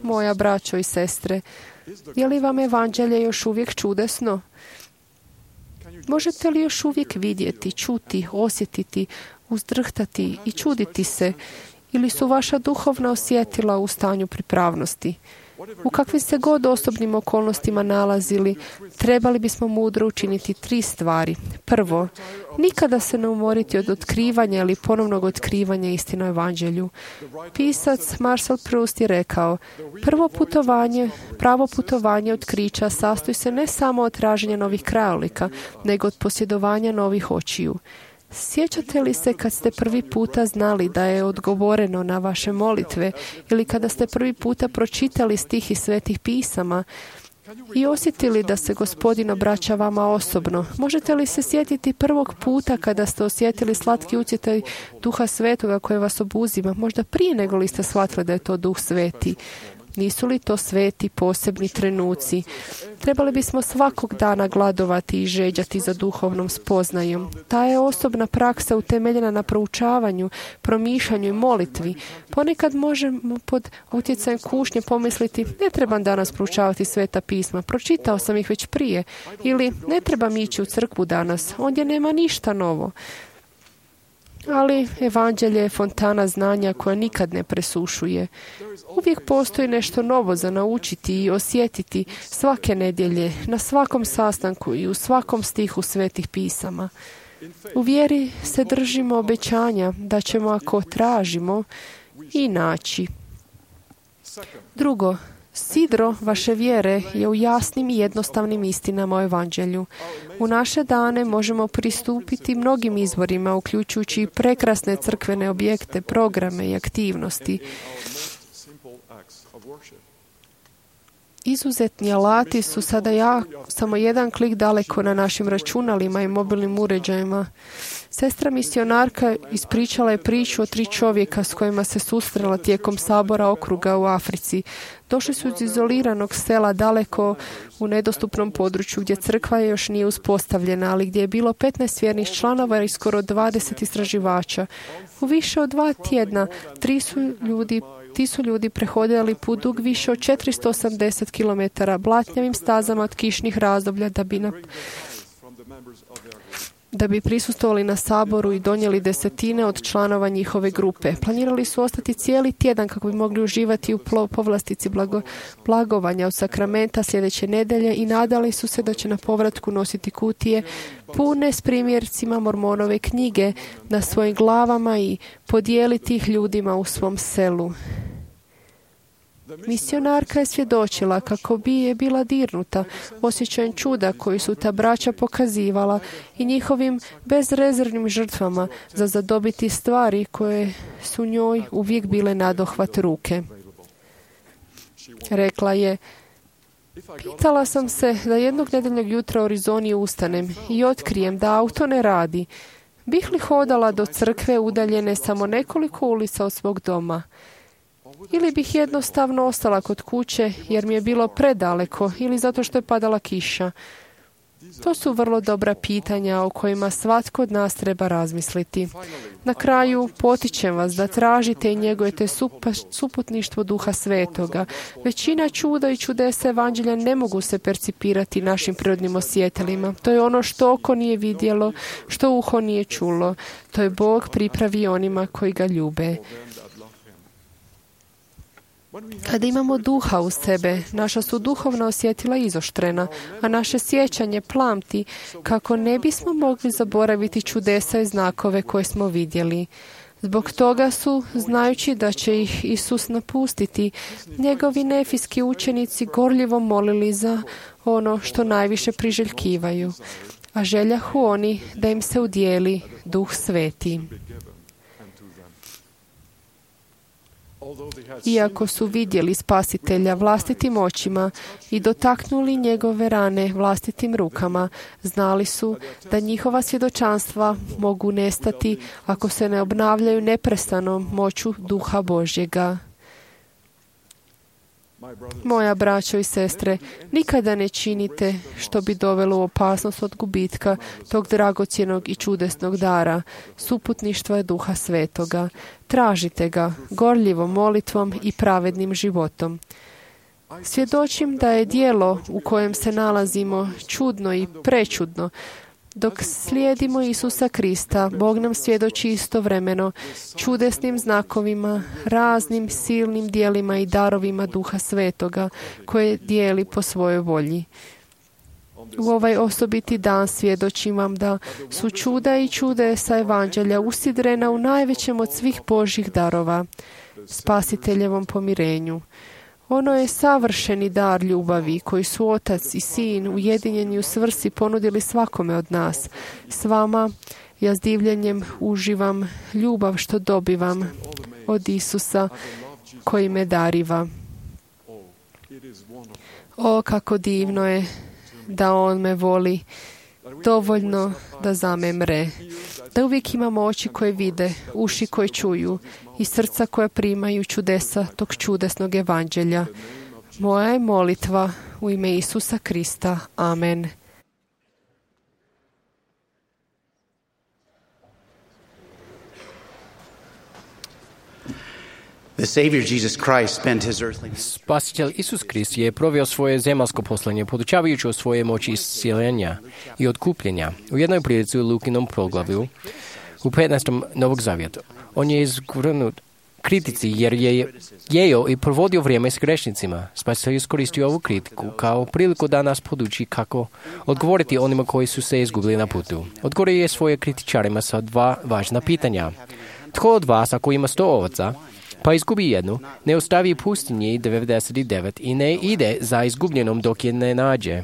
Moja braćo i sestre, je li vam evanđelje još uvijek čudesno? Možete li još uvijek vidjeti, čuti, osjetiti, uzdrhtati i čuditi se? Ili su vaša duhovna osjetila u stanju pripravnosti? U kakvim se god osobnim okolnostima nalazili, trebali bismo mudro učiniti 3 stvari. Prvo, nikada se ne umoriti od otkrivanja ili ponovnog otkrivanja istine o evanđelju. Pisac Marcel Proust je rekao: pravo putovanje otkrića sastoji se ne samo od traženja novih krajolika, nego od posjedovanja novih očiju. Sjećate li se kad ste prvi puta znali da je odgovoreno na vaše molitve ili kada ste prvi puta pročitali stih iz svetih pisama I osjetili da se Gospodin obraća vama osobno? Možete li se sjetiti prvog puta kada ste osjetili slatki utjecaj Duha Svetoga koje vas obuzima? Možda prije nego li ste shvatili da je to Duh Sveti. Nisu li to sveti posebni trenuci? Trebali bismo svakog dana gladovati i žeđati za duhovnom spoznajom. Ta je osobna praksa utemeljena na proučavanju, promišljanju i molitvi. Ponekad možemo pod utjecajem kušnje pomisliti: ne trebam danas proučavati Sveta pisma, pročitao sam ih već prije. Ili ne trebam ići u crkvu danas, ondje nema ništa novo. Ali evanđelje je fontana znanja koja nikad ne presušuje. Uvijek postoji nešto novo za naučiti i osjetiti svake nedjelje, na svakom sastanku i u svakom stihu Svetih pisama. U vjeri se držimo obećanja da ćemo, ako tražimo, i naći. Drugo, sidro vaše vjere je u jasnim i jednostavnim istinama o evanđelju. U naše dane možemo pristupiti mnogim izvorima, uključujući i prekrasne crkvene objekte, programe i aktivnosti. Izuzetni alati su sada samo jedan klik daleko na našim računalima i mobilnim uređajima. Sestra misionarka ispričala je priču o 3 čovjeka s kojima se susrela tijekom sabora okruga u Africi. Došli su iz izoliranog sela daleko u nedostupnom području gdje crkva još nije uspostavljena, ali gdje je bilo 15 vjernih članova i skoro 20 istraživača. U više od 2 tjedna ti su ljudi prehodili put dug više od 480 km blatnjavim stazama od kišnih razdoblja da bi prisustvovali na saboru i donijeli 10 od članova njihove grupe. Planirali su ostati cijeli tjedan kako bi mogli uživati u povlastici blagovanja od sakramenta sljedeće nedjelje i nadali su se da će na povratku nositi kutije pune s primjercima Mormonove knjige na svojim glavama i podijeliti ih ljudima u svom selu. Misionarka je svjedočila kako bi je bila dirnuta osjećajem čuda koji su ta braća pokazivala i njihovim bezrezervnim žrtvama za zadobiti stvari koje su njoj uvijek bile nadohvat ruke. Rekla je: pitala sam se da jednog nedjeljnog jutra u Arizoni ustanem i otkrijem da auto ne radi. Bih li hodala do crkve udaljene samo nekoliko ulica od svog doma? Ili bih jednostavno ostala kod kuće jer mi je bilo predaleko ili zato što je padala kiša? To su vrlo dobra pitanja o kojima svatko od nas treba razmisliti. Na kraju potičem vas da tražite i njegujete suputništvo Duha Svetoga. Većina čuda i čudesa evanđelja ne mogu se percipirati našim prirodnim osjetilima. To je ono što oko nije vidjelo, što uho nije čulo. To je Bog pripravi onima koji ga ljube. Kada imamo duha u sebe, naša su duhovna osjetila izoštrena, a naše sjećanje plamti kako ne bismo mogli zaboraviti čudesa i znakove koje smo vidjeli. Zbog toga su, znajući da će ih Isus napustiti, njegovi nefijski učenici gorljivo molili za ono što najviše priželjkivaju, a željahu oni da im se udijeli Duh Sveti. Iako su vidjeli Spasitelja vlastitim očima i dotaknuli njegove rane vlastitim rukama, znali su da njihova svjedočanstva mogu nestati ako se ne obnavljaju neprestanom moću Duha Božjega. Moja braćo i sestre, nikada ne činite što bi dovelo u opasnost od gubitka tog dragocjenog i čudesnog dara, suputništva Duha Svetoga. Tražite ga gorljivom molitvom i pravednim životom. Svjedočim da je djelo u kojem se nalazimo čudno i prečudno. Dok slijedimo Isusa Krista, Bog nam svjedoči istovremeno čudesnim znakovima, raznim silnim djelima i darovima Duha Svetoga koje dijeli po svojoj volji. U ovaj osobiti dan svjedočim vam da su čuda i čudesa evanđelja usidrena u najvećem od svih Božjih darova, Spasiteljevom pomirenju. Ono je savršeni dar ljubavi koji su Otac i Sin ujedinjeni u svrsi ponudili svakome od nas. S vama ja s divljenjem uživam ljubav što dobivam od Isusa koji me dariva. O, kako divno je da on me voli dovoljno da za me mre. Da uvijek imamo oči koje vide, uši koje čuju i srca koja primaju čudesa tog čudesnog evanđelja. Moja je molitva u ime Isusa Krista. Amen. Spasitelj Isus Krist je proveo svoje zemaljsko poslanje podučavajući o svoje moći iscijeljenja i otkupljenja. U jednoj prilici u Lukinom proglavlju u 15. Novog Zavjeta. On je izvrnut kritici jer je jeo i provodio vrijeme s grešnicima. Spasitelj iskoristio ovu kritiku kao priliku da nas poduči kako odgovoriti onima koji su se izgubili na putu. Odgovorio je svoje kritičarima sa dva važna pitanja. Tko od vas, ako ima 100 ovaca, pa izgubi jednu, ne ostavi pustinji 99 i ne ide za izgubljenom dok je ne nađe?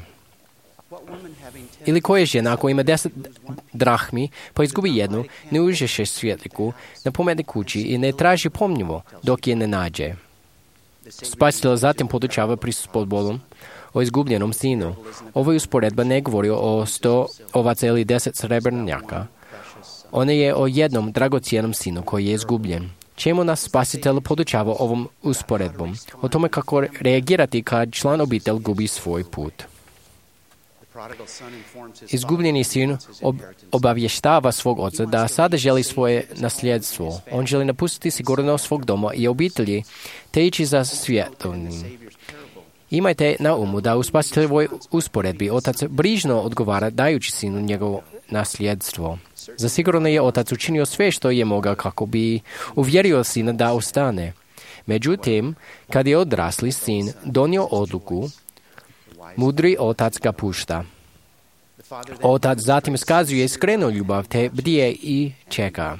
Ili koja žena ako ima 10 drahmi, pa izgubi jednu, ne uđeše svjetliku na pomeni kući i ne traži pomnjivo dok je ne nađe? Spasitelj zatim podučava prispodbolom o izgubljenom sinu. Ova usporedba ne govori o 100 ovaca ili 10 srebrnjaka. Ona je o jednom dragocijenom sinu koji je izgubljen. Čemu nas Spasitelj podučava ovom usporedbom? O tome kako reagirati kad član obitelj gubi svoj put. Izgubljeni sin obavještava svog oca da sada želi svoje nasljedstvo. On želi napustiti sigurnost svog doma i obitelji te ići za svjetovnim. Imajte na umu da u Spasiteljevoj usporedbi otac brižno odgovara dajući sinu njegovo nasljedstvo. Zasigurno je otac učinio sve što je mogao kako bi uvjerio sina da ostane. Međutim, kad je odrasli sin donio odluku, mudri otac ga pušta. Otac zatim iskazuje iskrenu ljubav te bdije i čeka.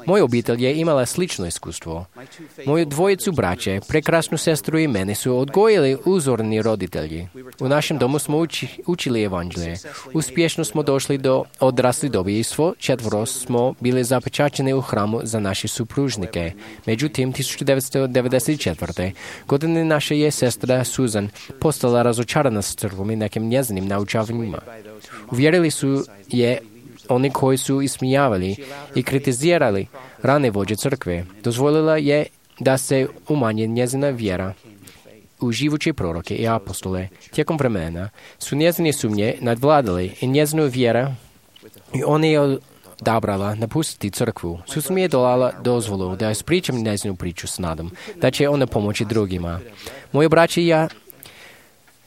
Moja obitelj je imala slično iskustvo. Moju dvojicu braće, prekrasnu sestru i mene su odgojili uzorni roditelji. U našem domu smo učili evanđelje. Uspješno smo došli do odrasli dobi i svo 4 smo bili zapečaćeni u hramu za naše supružnike. Međutim, 1994. godine naša je sestra Susan postala razočarana s crkvom i nekim njezinim naučavanjima. Uvjerili su je oni koji su ismijavali i kritizirali rane vođe crkve. Dozvolila je da se umanje njezina vjera u živuće proroke i apostole. Tijekom vremena su njezine sumnje nadvladali i njezinu vjera i ona je odabrala napustiti crkvu. Susan mi je dala dozvolu da ispričam njezinu priču s nadom, da će ona pomoći drugima. Moji braći i ja,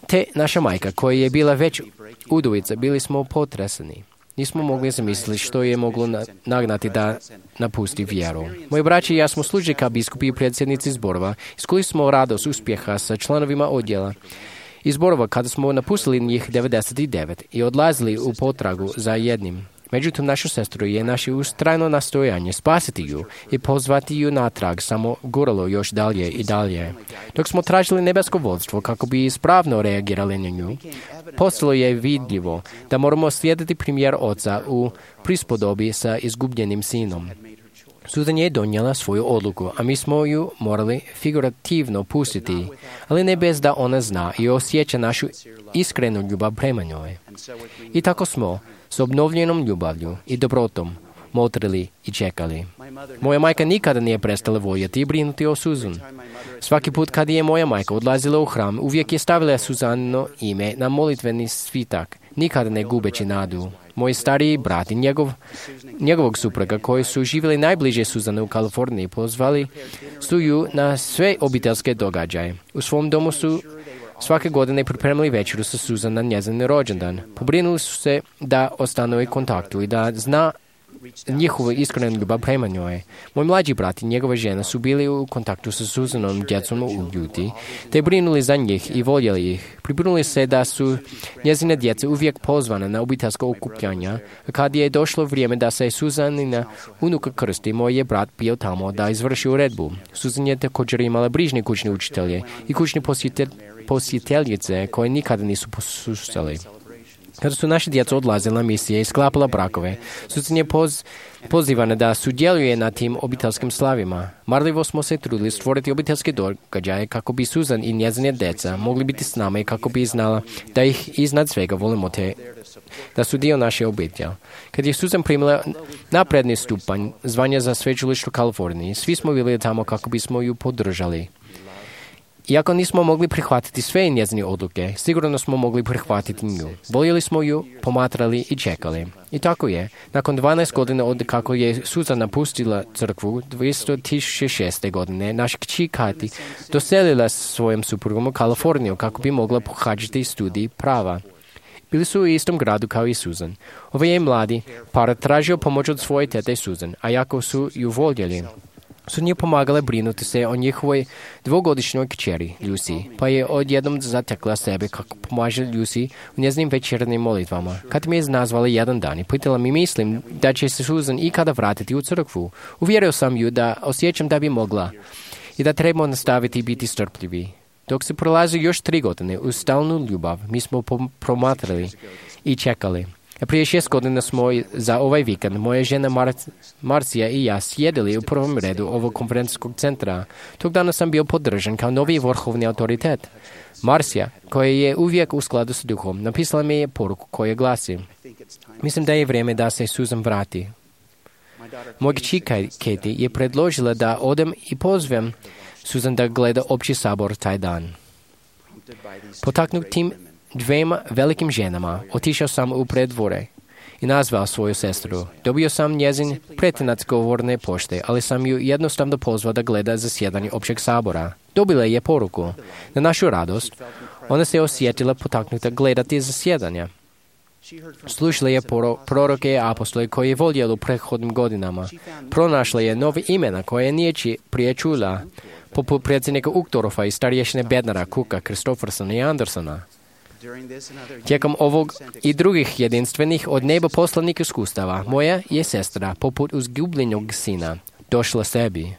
te naša majka koja je bila već udovica, bili smo potreseni. Nismo mogli zamisliti što je moglo nagnati da napusti vjeru. Moji braći i ja smo služili kao biskupi i predsjednici zborova. Iskusili smo radost uspjeha sa članovima odjela i zborova kada smo napustili njih 99 i odlazili u potragu za jednim. Međutim, našu sestru je naše ustrajno nastojanje spasiti ju i pozvati ju natrag samo guralo još dalje i dalje. Dok smo tražili nebesko vodstvo kako bi ispravno reagirali na nju, postalo je vidljivo da moramo slijediti primjer oca u prispodobi sa izgubljenim sinom. Susan je donijela svoju odluku, a mi smo ju morali figurativno pustiti, ali ne bez da ona zna i osjeća našu iskrenu ljubav prema njoj. I tako smo s obnovljenom ljubavlju i dobrotom motrili i čekali. Moja majka nikada nije prestala voljeti i brinuti o Susan. Svaki put kad je moja majka odlazila u hram, uvijek je stavila Suzanino ime na molitveni svitak, nikada ne gubeći nadu. Moj stariji brat i njegovog supruga koji su živjeli najbliže Suzane u Kaliforniji pozvali su ju na sve obiteljske događaje. U svom domu su svake godine pripremili večeru sa Suzan na njezin rođendan. Pobrinuli su se da ostanu u kontaktu i da zna njihovu iskrenu ljubav prema njoj. Moj mlađi brat i njegova žena su bili u kontaktu sa Suzanom djecom u Ljuti, te brinuli za njih i voljeli ih. Pribrinuli se da su njezine djece uvijek pozvane na obiteljsko okupljanja. Kad je došlo vrijeme da se Suzanina unuka krsti, moj je brat bio tamo da izvrši uredbu. Suzan je također imala brižne kućne učitelje i kućne posjetiteljice koje nikada nisu posustali. Kada su naši djeca odlazili na misije i sklapala brakove, Susan je pozivana da sudjeluje na tim obiteljskim slavima. Marljivo smo se trudili stvoriti obiteljske događaje kako bi Susan i njezine djeca mogli biti s nama i kako bi znala da ih iznad svega volimo da su dio naše obitelji. Kad je Susan primila napredni stupanj zvanja za sveučilište u Kaliforniji, svi smo bili tamo kako bismo ju podržali. Iako nismo mogli prihvatiti sve njezine odluke, sigurno smo mogli prihvatiti nju. Voljeli smo ju, pomatrali i čekali. I tako je. Nakon 12 godina od kako je Susan napustila crkvu, 2006. godine, naša kći Kati doselila s svojim suprugom u Kaliforniju kako bi mogla pohađati studij prava. Bili su u istom gradu kao i Susan. Ovaj je mladi par tražio pomoć od svoje tete Susan, a jako su ju voljeli, su nje pomagale brinuti se o njihovoj dvogodišnjoj kćeri, Lucy, pa je odjednom zatekla sebe kako pomaže Lucy u njezinim večernjim molitvama. Kad mi je nazvala jedan dan i pitala mi mislim da će se Susan ikada vratiti u crkvu, uvjerio sam ju da osjećam da bi mogla i da trebamo nastaviti biti strpljivi. Dok se prolazi još 3 godine uz stalnu ljubav, mi smo promatrali i čekali. A prije 6 godina smo za ovaj vikend moja žena Marcija i ja sjedili u prvom redu ovog konferencijskog centra. Tog dana sam bio podržan kao novi vrhovni autoritet. Marcija, koja je uvijek u skladu s duhom, napisala mi je poruku koja glasi: mislim da je vrijeme da se Susan vrati. Moja kći Katie je predložila da odem i pozvem Susan da gleda opći sabor taj dan. Potaknut tim 2 velikim ženama, otišao sam u preddvore i nazvao svoju sestru. Dobio sam njezin pretinac govorne pošte, ali sam ju jednostavno pozvao da gleda zasjedanje općeg sabora. Dobila je poruku. Na našu radost, ona se osjetila potaknuta gledati zasjedanja. Slušala je proroke i apostole koji je voljela u prethodnim godinama. Pronašla je nove imena koje nije prije čula, poput predsjednika Uchtdorfa i starješine Bednara, Cooka, Christophersona i Andersona. Tijekom ovog i drugih jedinstvenih od neba poslanih iskustava, moja je sestra, poput uzgubljenog sina, došla sebi.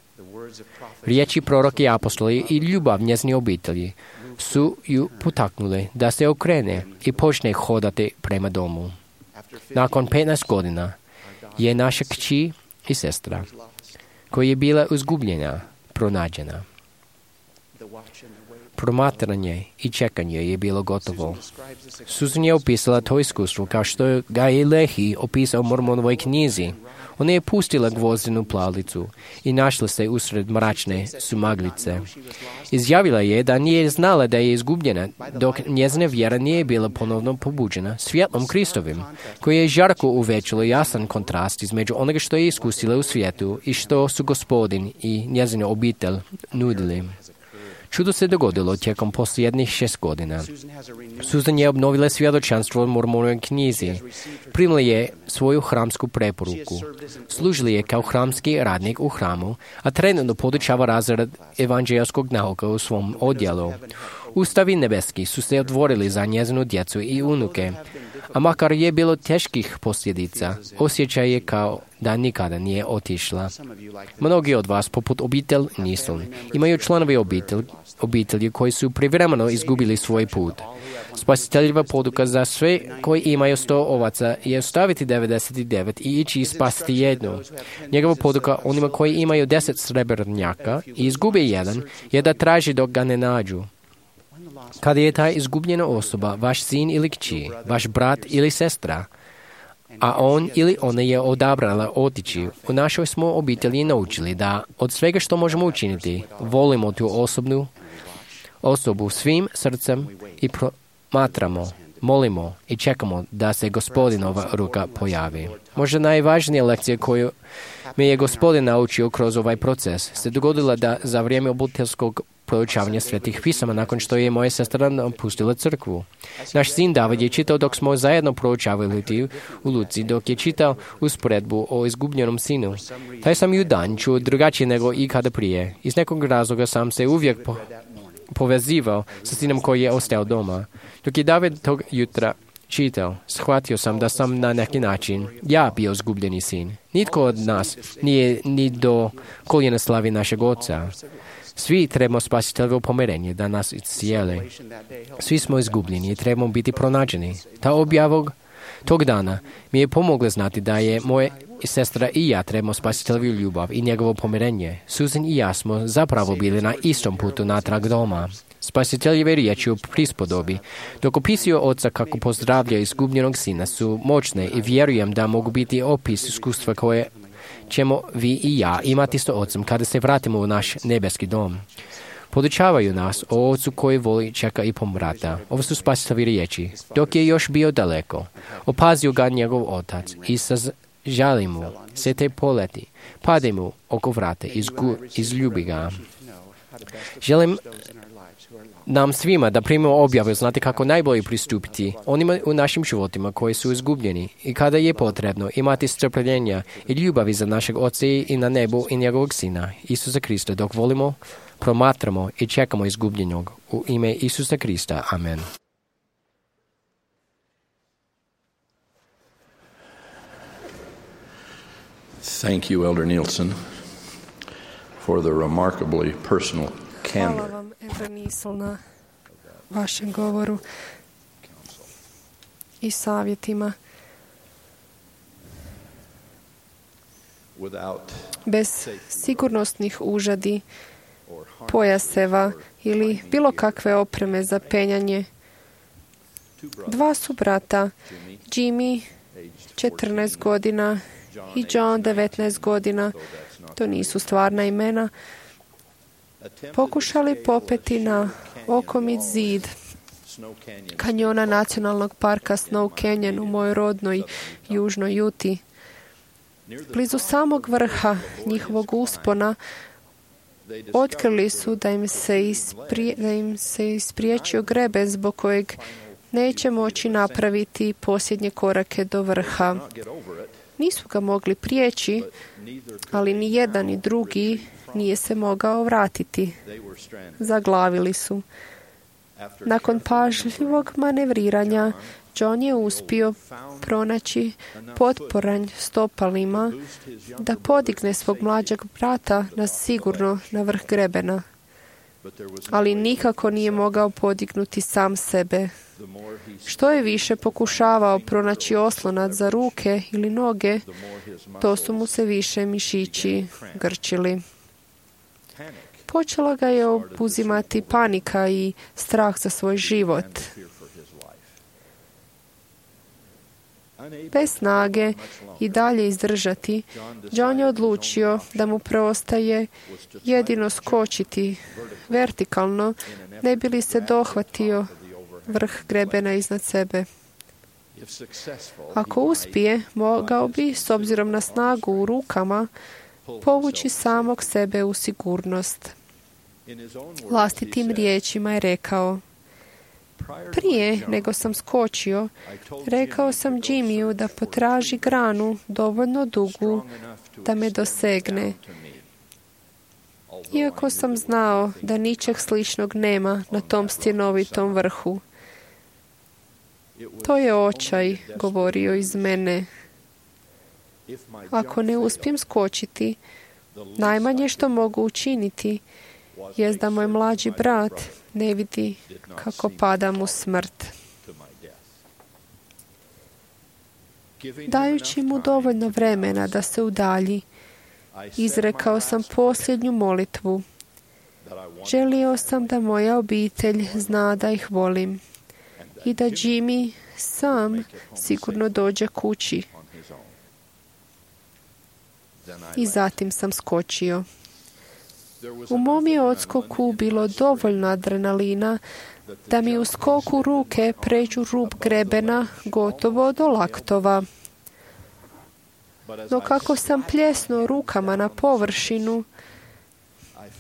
Riječi proroke i apostoli i ljubav njezini obitelji su ju potaknuli da se okrene i počne hodati prema domu. Nakon 15 godina je naša kći i sestra, koja je bila izgubljena, pronađena. Promatranje i čekanje je bilo gotovo. Susan je opisala to iskustvo kao što ga je Lehi opisao u Mormonovoj knjizi. Ona je pustila gvozdenu plavlicu i našla se usred mračne sumaglice. Izjavila je da nije znala da je izgubljena, dok njezina vjera nije bila ponovno pobuđena svjetlom Kristovim, koji je žarko uvećalo jasan kontrast između onoga što je iskusila u svijetu i što su Gospodin i njezina obitelj nudili. Čudo se dogodilo tijekom posljednjih 6 godina. Susan je obnovila svjedočanstvo u Mormonovoj knjizi. Primila je svoju hramsku preporuku. Služila je kao hramski radnik u hramu, a trenutno podučava razred evanđelskog nauka u svom odjelu. Ustavi nebeski su se otvorili za njezinu djecu i unuke, a makar je bilo teških posljedica, osjećaj je kao da nikada nije otišla. Mnogi od vas, poput obitelj nisu, imaju članovi obitelji koji su privremeno izgubili svoj put. Spasiteljeva poduka za sve koji imaju 100 ovaca je ostaviti 99 i ići i spasiti jednu. Njegova poduka onima koji imaju 10 srebrnjaka i izgube jedan je da traži dok ga ne nađu. Kada je ta izgubljena osoba vaš sin ili kći, vaš brat ili sestra, a on ili ona je odabrala otići, u našoj smo obitelji naučili da od svega što možemo učiniti, volimo tu osobu svim srcem i promatramo, molimo i čekamo da se Gospodinova ruka pojavi. Možda najvažnija lekcija koju me je Gospodin naučio kroz ovaj proces se dogodila da za vrijeme obiteljskog proučavanja svetih pisama nakon što je moja sestra napustila crkvu. Naš sin David je čitao dok smo zajedno proučavali u Luci, dok je čitao usporedbu o izgubljenom sinu. Taj sam ju dan čuo drugačije nego ikada prije. Iz nekog razloga sam se uvijek povezivao sa sinom koji je ostao doma. Dok je David tog jutra čitao, shvatio sam da sam na neki način ja bio izgubljeni sin. Nitko od nas nije ni do koljena slavi našeg oca. Svi trebamo spasiteljevo pomirenje da nas iscijele. Svi smo izgubljeni i trebamo biti pronađeni. Ta objava tog dana mi je pomogla znati da je moja sestra i ja trebamo spasiteljevu ljubav i njegovo pomirenje. Susan i ja smo zapravo bili na istom putu natrag doma. Spasiteljeve riječi u prispodobi, dok opisuju oca kako pozdravlja izgubljenog sina, su moćne i vjerujem da mogu biti opis iskustva koje ćemo vi i ja imati s ocem kada se vratimo u naš nebeski dom. Podučavaju nas o ocu koji voli, čeka i pomrata. Ovo su spasiteljeve riječi. Dok je još bio daleko, opazio ga njegov otac i sa žali mu se te poleti, pade mu oko vrata, izljubi ga. Želim nam svima da primimo objavu, znate kako najbolje pristupiti onima u našim životima koji su izgubljeni i kada je potrebno imati strpljenja i ljubavi za našeg Oca i na nebu i njegovog Sina, Isusa Krista, dok volimo, promatramo i čekamo izgubljenog. U ime Isusa Krista. Amen. Thank you, Elder Nielsen, for the remarkably personal candor. Hvala vam, Elder Nielsen, na vašem govoru i savjetima. Bez sigurnosnih užadi, pojaseva ili bilo kakve opreme za penjanje, dva su brata, Jimmy, 14 godina, i John, 19 godina, to nisu stvarna imena, pokušali popeti na okomit zid kanjona nacionalnog parka Snow Canyon u mojoj rodnoj južnoj Juti. Blizu samog vrha njihovog uspona otkrili su da im se ispriječio grebe zbog kojeg neće moći napraviti posljednje korake do vrha. Nisu ga mogli prijeći, ali ni jedan ni drugi nije se mogao vratiti. Zaglavili su. Nakon pažljivog manevriranja, John je uspio pronaći potporanj stopalima da podigne svog mlađeg brata sigurno na vrh grebena. Ali nikako nije mogao podignuti sam sebe. Što je više pokušavao pronaći oslonac za ruke ili noge, to su mu se više mišići grčili. Počela ga je obuzimati panika i strah za svoj život. Bez snage i dalje izdržati, John je odlučio da mu preostaje jedino skočiti vertikalno, ne bi li se dohvatio vrh grebena iznad sebe. Ako uspije, mogao bi, s obzirom na snagu u rukama, povući samog sebe u sigurnost. Vlastitim riječima je rekao: prije nego sam skočio, rekao sam Jimmyu da potraži granu dovoljno dugu da me dosegne. Iako sam znao da ničeg sličnog nema na tom stjenovitom vrhu. To je očaj govorio iz mene. Ako ne uspijem skočiti, najmanje što mogu učiniti jest da moj mlađi brat ne vidi kako padam u smrt. Dajući mu dovoljno vremena da se udalji, izrekao sam posljednju molitvu. Želio sam da moja obitelj zna da ih volim i da Jimmy sam sigurno dođe kući. I zatim sam skočio. U mom je odskoku bilo dovoljno adrenalina da mi u skoku ruke pređu rub grebena gotovo do laktova. No kako sam pljesnuo rukama na površinu,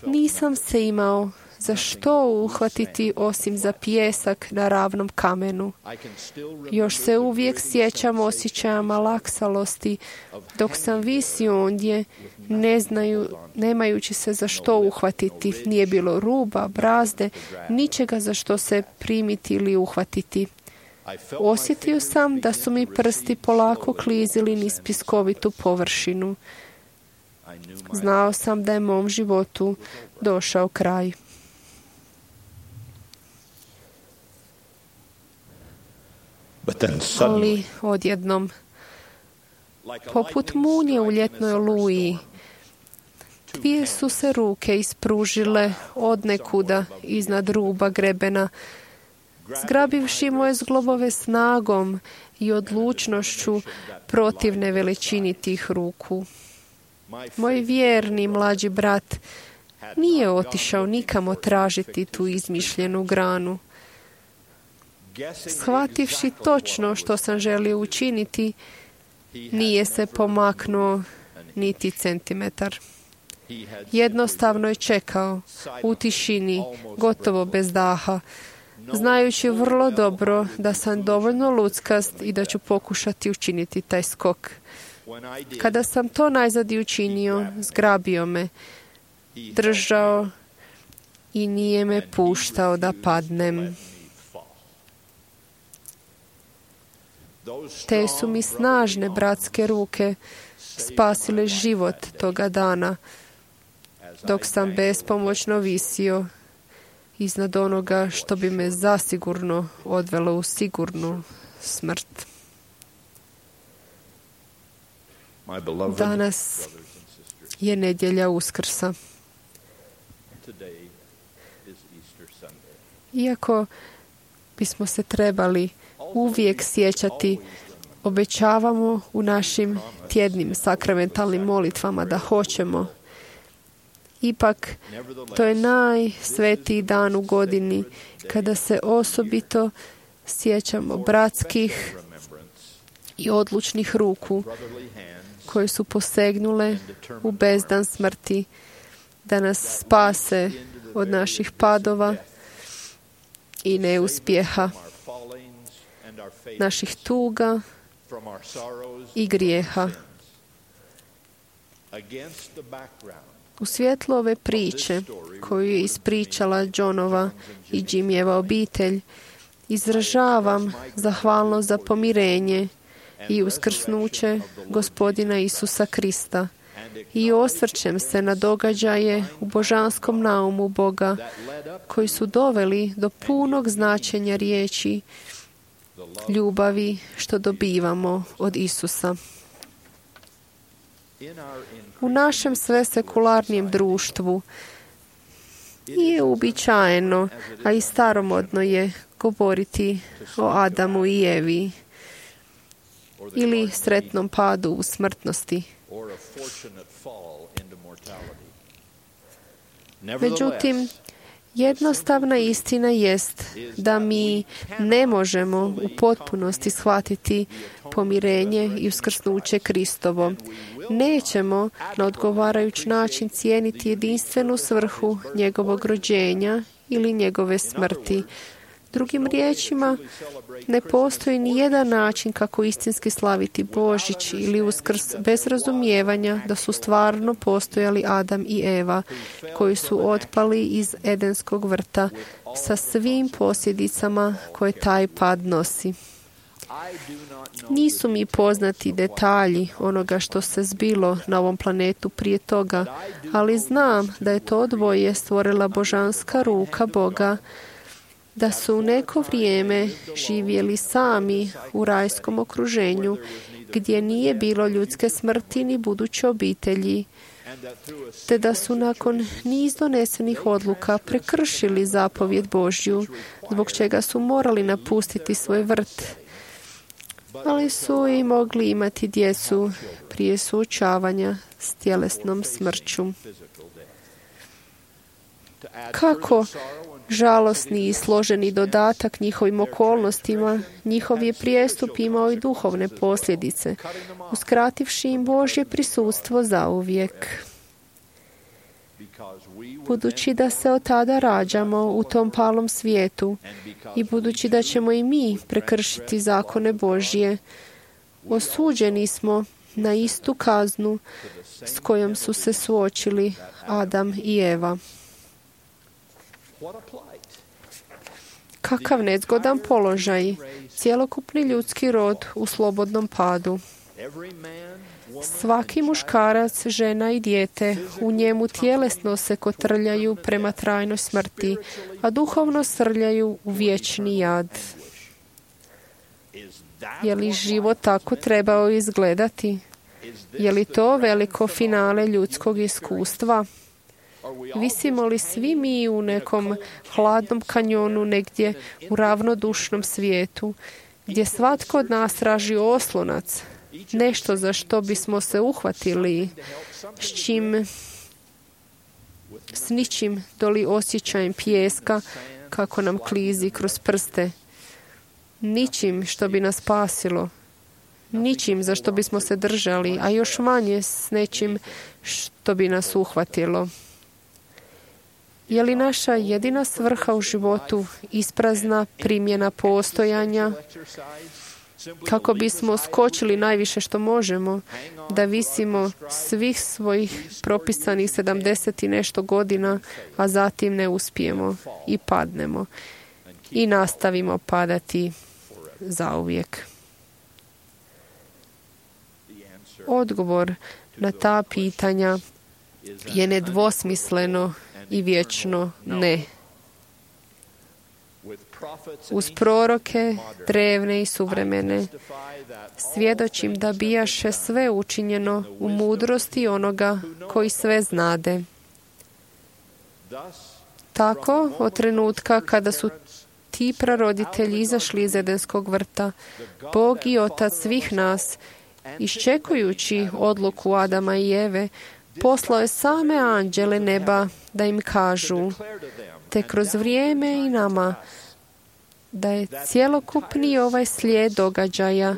nisam se imao za što uhvatiti osim za pijesak na ravnom kamenu. Još se uvijek sjećam osjećaja malaksalosti dok sam visio ondje, nemajući se za što uhvatiti. Nije bilo ruba, brazde, ničega za što se primiti ili uhvatiti. Osjetio sam da su mi prsti polako klizili niz piskovitu površinu. Znao sam da je mom životu došao kraj. Ali odjednom, poput munje u ljetnoj oluji, dvije su se ruke ispružile odnekuda iznad ruba grebena, zgrabivši moje zglobove snagom i odlučnošću protivne veličini tih ruku. Moj vjerni mlađi brat nije otišao nikamo tražiti tu izmišljenu granu. Shvativši točno što sam želio učiniti, nije se pomaknuo niti centimetar. Jednostavno je čekao u tišini, gotovo bez daha, znajući vrlo dobro da sam dovoljno luckast i da ću pokušati učiniti taj skok. Kada sam to najzad i učinio, zgrabio me, držao i nije me puštao da padnem. Te su mi snažne bratske ruke spasile život toga dana, dok sam bespomoćno visio iznad onoga što bi me zasigurno odvelo u sigurnu smrt. Danas je nedjelja Uskrsa. Iako bismo se trebali uvijek sjećati, obećavamo u našim tjednim sakramentalnim molitvama da hoćemo. Ipak, to je najsvetiji dan u godini kada se osobito sjećamo bratskih i odlučnih ruku koje su posegnule u bezdan smrti da nas spase od naših padova i neuspjeha, naših tuga i grijeha. U svjetlu ove priče koju je ispričala Johnova i Jimmyjeva obitelj, izražavam zahvalnost za pomirenje i uskrsnuće Gospodina Isusa Krista i osvrćem se na događaje u božanskom naumu Boga koji su doveli do punog značenja riječi ljubavi što dobivamo od Isusa. U našem svesekularnijem društvu nije uobičajeno, a i staromodno je govoriti o Adamu i Evi ili sretnom padu u smrtnosti. Međutim, jednostavna istina jest da mi ne možemo u potpunosti shvatiti pomirenje i uskrsnuće Kristovo. Nećemo na odgovarajući način cijeniti jedinstvenu svrhu njegovog rođenja ili njegove smrti. Drugim riječima, ne postoji ni jedan način kako istinski slaviti Božić ili Uskrs bez razumijevanja da su stvarno postojali Adam i Eva, koji su otpali iz Edenskog vrta sa svim posljedicama koje taj pad nosi. Nisu mi poznati detalji onoga što se zbilo na ovom planetu prije toga, ali znam da je to dvoje stvorila božanska ruka Boga, da su u neko vrijeme živjeli sami u rajskom okruženju gdje nije bilo ljudske smrti ni buduće obitelji, te da su nakon niz donesenih odluka prekršili zapovjed Božju, zbog čega su morali napustiti svoj vrt, ali su i mogli imati djecu prije suočavanja s tjelesnom smrću. Kako žalosni i složeni dodatak njihovim okolnostima, njihov je prijestup imao i duhovne posljedice, uskrativši im Božje prisustvo zauvijek. Budući da se od tada rađamo u tom palom svijetu i budući da ćemo i mi prekršiti zakone Božje, osuđeni smo na istu kaznu s kojom su se suočili Adam i Eva. Kakav nezgodan položaj, cjelokupni ljudski rod u slobodnom padu. Svaki muškarac, žena i dijete u njemu tjelesno se kotrljaju prema trajnoj smrti, a duhovno srljaju u vječni jad. Je li život tako trebao izgledati? Je li to veliko finale ljudskog iskustva? Visimo li svi mi u nekom hladnom kanjonu negdje u ravnodušnom svijetu, gdje svatko od nas traži oslonac, nešto za što bismo se uhvatili, s ničim doli osjećajem pijeska kako nam klizi kroz prste, ničim što bi nas spasilo, ničim za što bismo se držali, a još manje s nečim što bi nas uhvatilo. Je li naša jedina svrha u životu isprazna primjena postojanja kako bismo skočili najviše što možemo, da visimo svih svojih propisanih 70 i nešto godina, a zatim ne uspijemo i padnemo i nastavimo padati zauvijek? Odgovor na ta pitanja je nedvosmisleno i vječno ne. Uz proroke, drevne i suvremene, svjedočim da bijaše sve učinjeno u mudrosti onoga koji sve znade. Tako, od trenutka kada su ti praroditelji izašli iz Edenskog vrta, Bog i Otac svih nas, iščekujući odluku Adama i Eve, poslao je same anđele neba da im kažu, te kroz vrijeme i nama, da je cjelokupni ovaj slijed događaja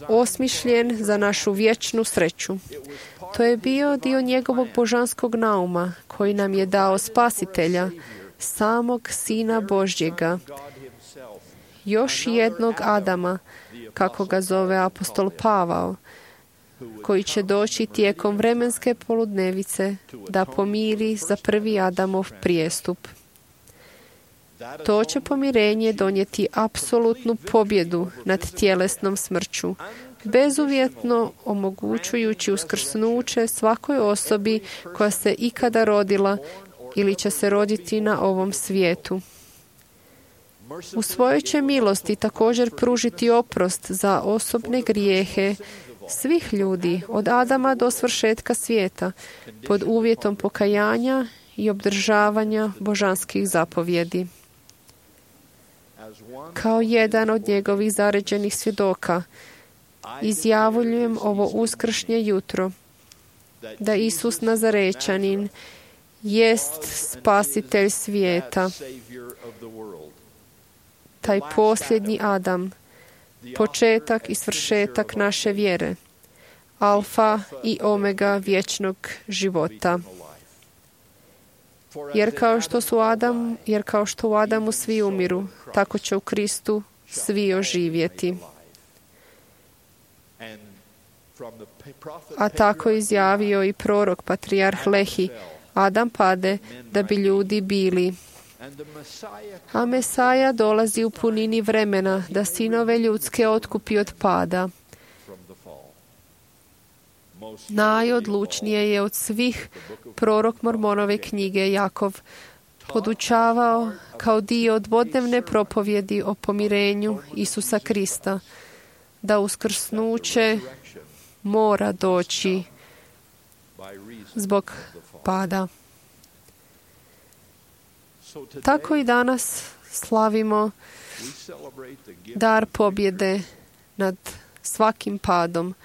osmišljen za našu vječnu sreću. To je bio dio njegovog božanskog nauma koji nam je dao Spasitelja, samog Sina Božjega, još jednog Adama, kako ga zove apostol Pavao, koji će doći tijekom vremenske poludnevice da pomiri za prvi Adamov prijestup. To će pomirenje donijeti apsolutnu pobjedu nad tjelesnom smrću, bezuvjetno omogućujući uskrsnuće svakoj osobi koja se ikada rodila ili će se roditi na ovom svijetu. U svojoj će milosti također pružiti oprost za osobne grijehe svih ljudi od Adama do svršetka svijeta pod uvjetom pokajanja i obdržavanja božanskih zapovjedi. Kao jedan od njegovih zaređenih svjedoka, izjavljujem ovo uskršnje jutro da Isus Nazarečanin jest spasitelj svijeta, taj posljednji Adam, početak i svršetak naše vjere, alfa i omega vječnog života. Jer kao što u Adamu svi umiru, tako će u Kristu svi oživjeti. A tako izjavio i prorok patrijarh Lehi, Adam pade da bi ljudi bili. A Mesaja dolazi u punini vremena da sinove ljudske otkupi od pada. Najodlučnije je od svih prorok Mormonove knjige Jakov podučavao kao dio dvodnevne propovjedi o pomirenju Isusa Krista, da uskrsnuće mora doći zbog pada. Tako i danas slavimo dar pobjede nad svakim padom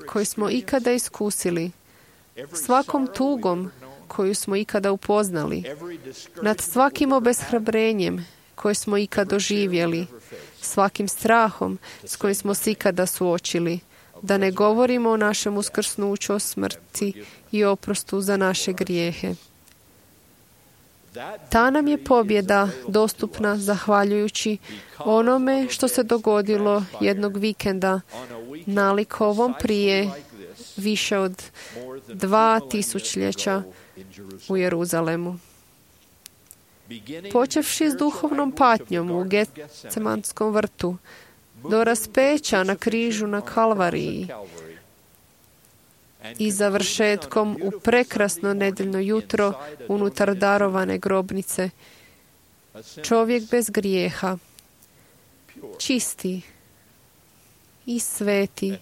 koji smo ikada iskusili, svakom tugom koju smo ikada upoznali, nad svakim obeshrabrenjem koje smo ikada doživjeli, svakim strahom s kojim smo se ikada suočili, da ne govorimo o našem uskrsnuću, o smrti i oprostu za naše grijehe. Ta nam je pobjeda dostupna zahvaljujući onome što se dogodilo jednog vikenda nalik ovom prije više od 2000 u Jeruzalemu. Počevši s duhovnom patnjom u Getsemanskom vrtu, do raspeća na križu na Kalvariji i završetkom u prekrasno nedeljno jutro unutar darovane grobnice. Čovjek bez grijeha, čisti i sveti,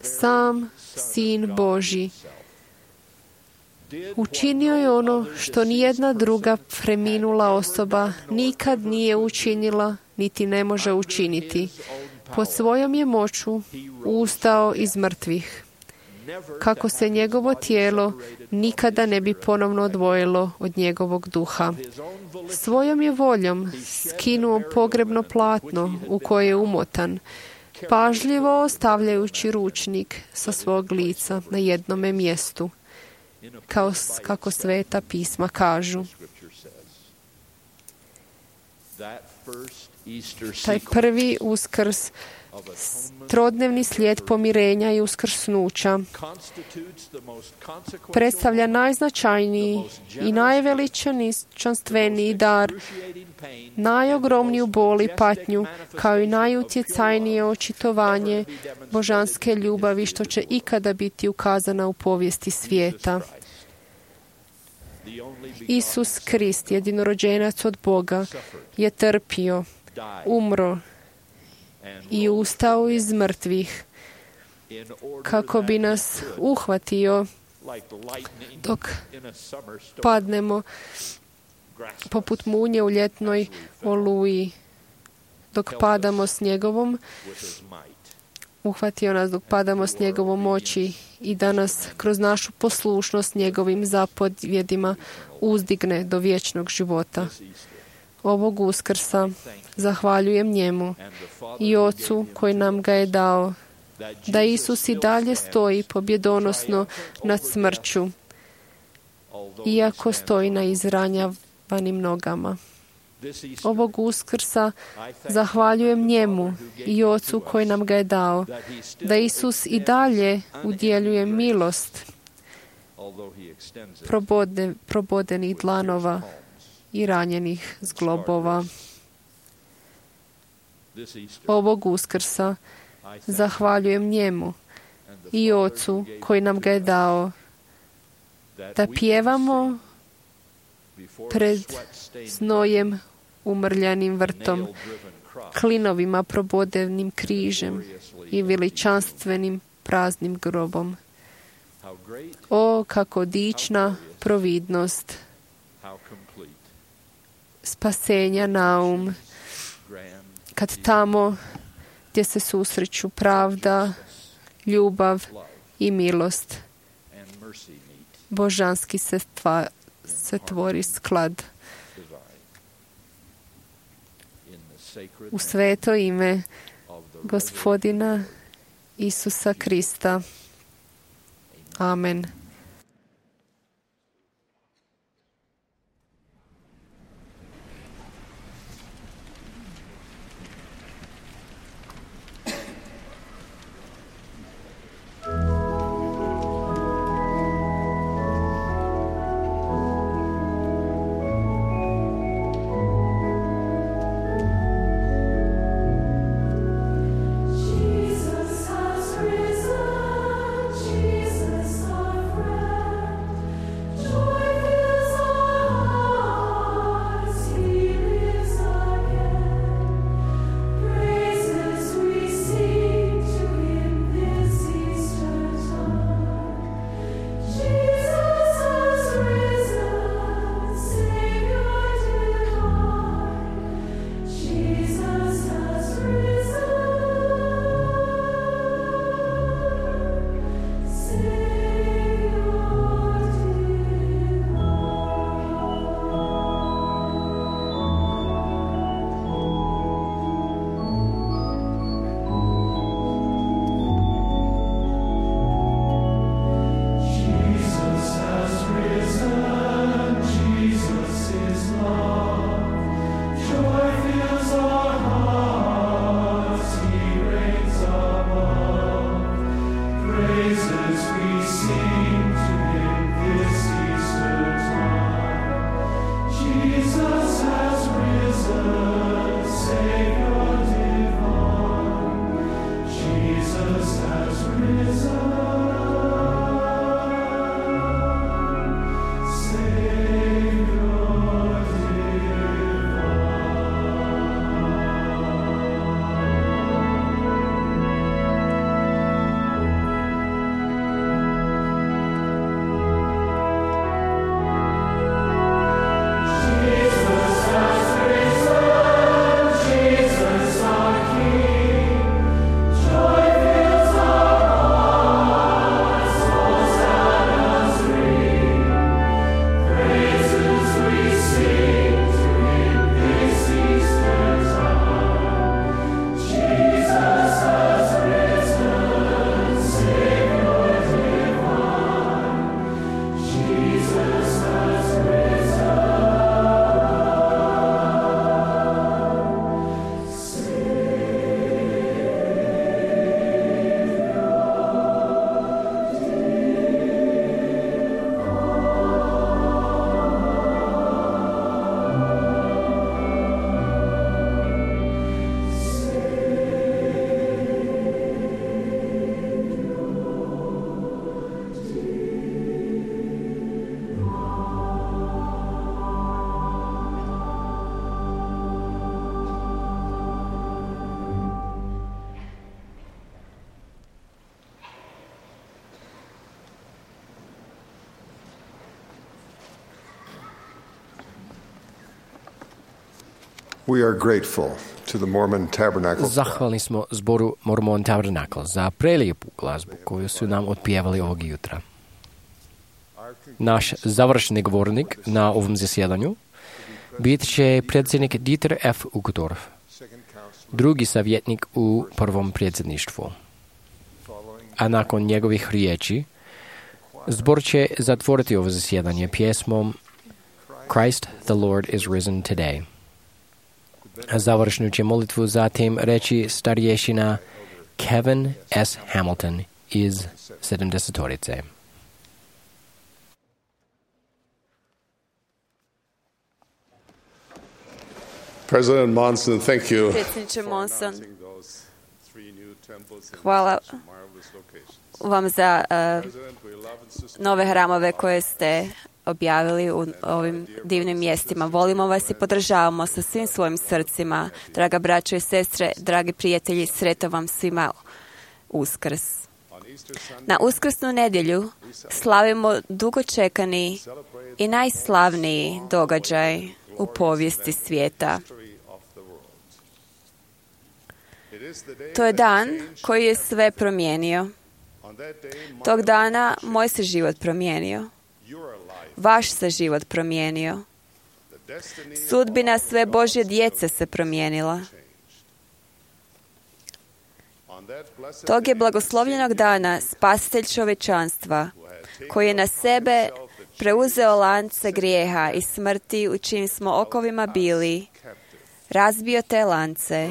sam Sin Božji, učinio je ono što nijedna druga preminula osoba nikad nije učinila niti ne može učiniti. Pod svojom je moću ustao iz mrtvih, kako se njegovo tijelo nikada ne bi ponovno odvojilo od njegovog duha. Svojom je voljom skinuo pogrebno platno u koje je umotan, pažljivo ostavljajući ručnik sa svog lica na jednome mjestu, kako Sveta pisma kažu. Taj prvi uskrs, trodnevni slijed pomirenja i uskrsnuća, predstavlja najznačajniji i najveličanstveniji dar, najogromniju bol i patnju, kao i najutjecajnije očitovanje božanske ljubavi što će ikada biti ukazana u povijesti svijeta. Isus Krist, jedinorođenac od Boga, je trpio, umro i ustao iz mrtvih kako bi nas uhvatio dok padnemo poput munje u ljetnoj oluji, dok padamo s njegovom, uhvatio nas dok padamo s njegovom moći i da nas kroz našu poslušnost njegovim zapovjedima uzdigne do vječnog života. Ovog Uskrsa zahvaljujem njemu i Ocu koji nam ga je dao, da Isus i dalje stoji pobjedonosno nad smrću, iako stoji na izranjavanim nogama. Ovog Uskrsa zahvaljujem njemu i Ocu koji nam ga je dao, da Isus i dalje udjeljuje milost probodenih dlanova i ranjenih zglobova. Ovog Uskrsa zahvaljujem njemu i Ocu koji nam ga je dao, da pjevamo pred znojem umrljanim vrtom, klinovima probodenim križem i veličanstvenim praznim grobom. O, kako dična providnost spasenja naum, kad tamo gdje se susreću pravda, ljubav i milost, božanski se tvori sklad. U sveto ime Gospodina Isusa Krista. Amen. Jesus has risen, Jesus our We are grateful to the Mormon Tabernacle. Zahvalni smo zboru Mormon Tabernacle za prelijepu glazbu koju su nam otpjevali ovog jutra. Naš završni govornik na ovom zasjedanju bit će predsjednik Dieter F. Uchtdorf, drugi savjetnik u prvom predsjedništvu. A nakon njegovih riječi, zbor će zatvoriti ovo zasjedanje pjesmom Christ the Lord is risen today. A završnu će molitvu zatim reći starješina Kevin S. Hamilton iz 70-torice. President Monson, thank you. Predsjedniče Monson, hvala vam za nove hramove koje ste objavili u ovim divnim mjestima. Volimo vas i podržavamo sa svim svojim srcima. Draga braćo i sestre, dragi prijatelji, sretan vam svima Uskrs. Na Uskrsnu nedjelju slavimo dugo čekani i najslavniji događaj u povijesti svijeta. To je dan koji je sve promijenio. Tog dana moj se život promijenio. Vaš se život promijenio. Sudbina sve Božje djece se promijenila. Tog je blagoslovljenog dana Spasitelj čovječanstva, koji je na sebe preuzeo lance grijeha i smrti u čijim smo okovima bili, razbio te lance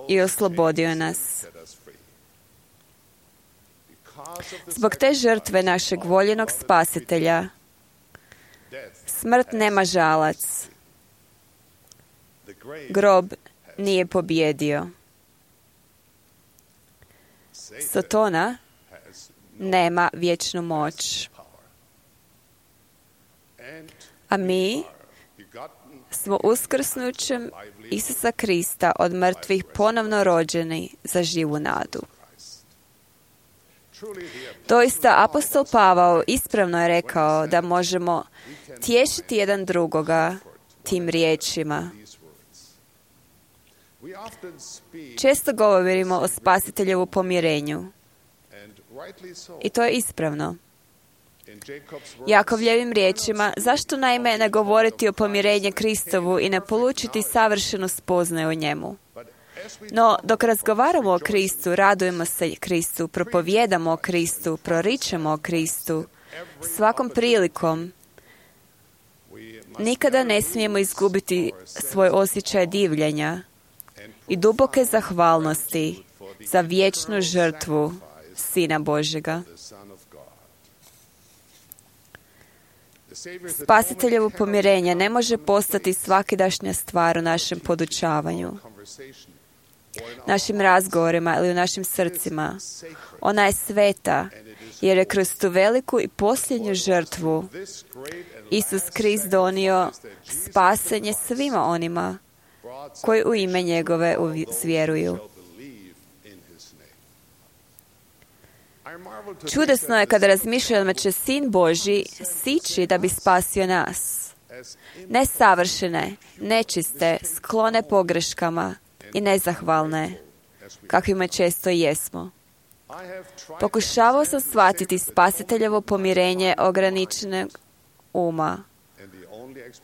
i oslobodio nas. Zbog te žrtve našeg voljenog Spasitelja, smrt nema žalac. Grob nije pobjedio. Satana nema vječnu moć. A mi smo uskrsnućem Isusa Krista od mrtvih ponovno rođeni za živu nadu. Doista, apostol Pavao ispravno je rekao da možemo tješiti jedan drugoga tim riječima. Često govorimo o Spasiteljevu pomirenju. I to je ispravno. Jakovljevim riječima, zašto naime ne govoriti o pomirenju Kristovu i ne polučiti savršenu spoznaju o njemu? No, dok razgovaramo o Kristu, radujemo se Kristu, propovijedamo o Kristu, proričemo o Kristu, svakom prilikom, nikada ne smijemo izgubiti svoj osjećaj divljenja i duboke zahvalnosti za vječnu žrtvu Sina Božjega. Spasiteljevo pomirenje ne može postati svakidašnja stvar u našem podučavanju, našim razgovorima ili u našim srcima. Ona je sveta, jer je kroz tu veliku i posljednju žrtvu Isus Krist donio spasenje svima onima koji u ime njegove vjeruju. Čudesno je kada razmišljam da će Sin Božji sići da bi spasio nas. Nesavršene, nečiste, sklone pogreškama i nezahvalne, kakvima često i jesmo. Pokušavao sam shvatiti spasiteljevo pomirenje ograničenog uma,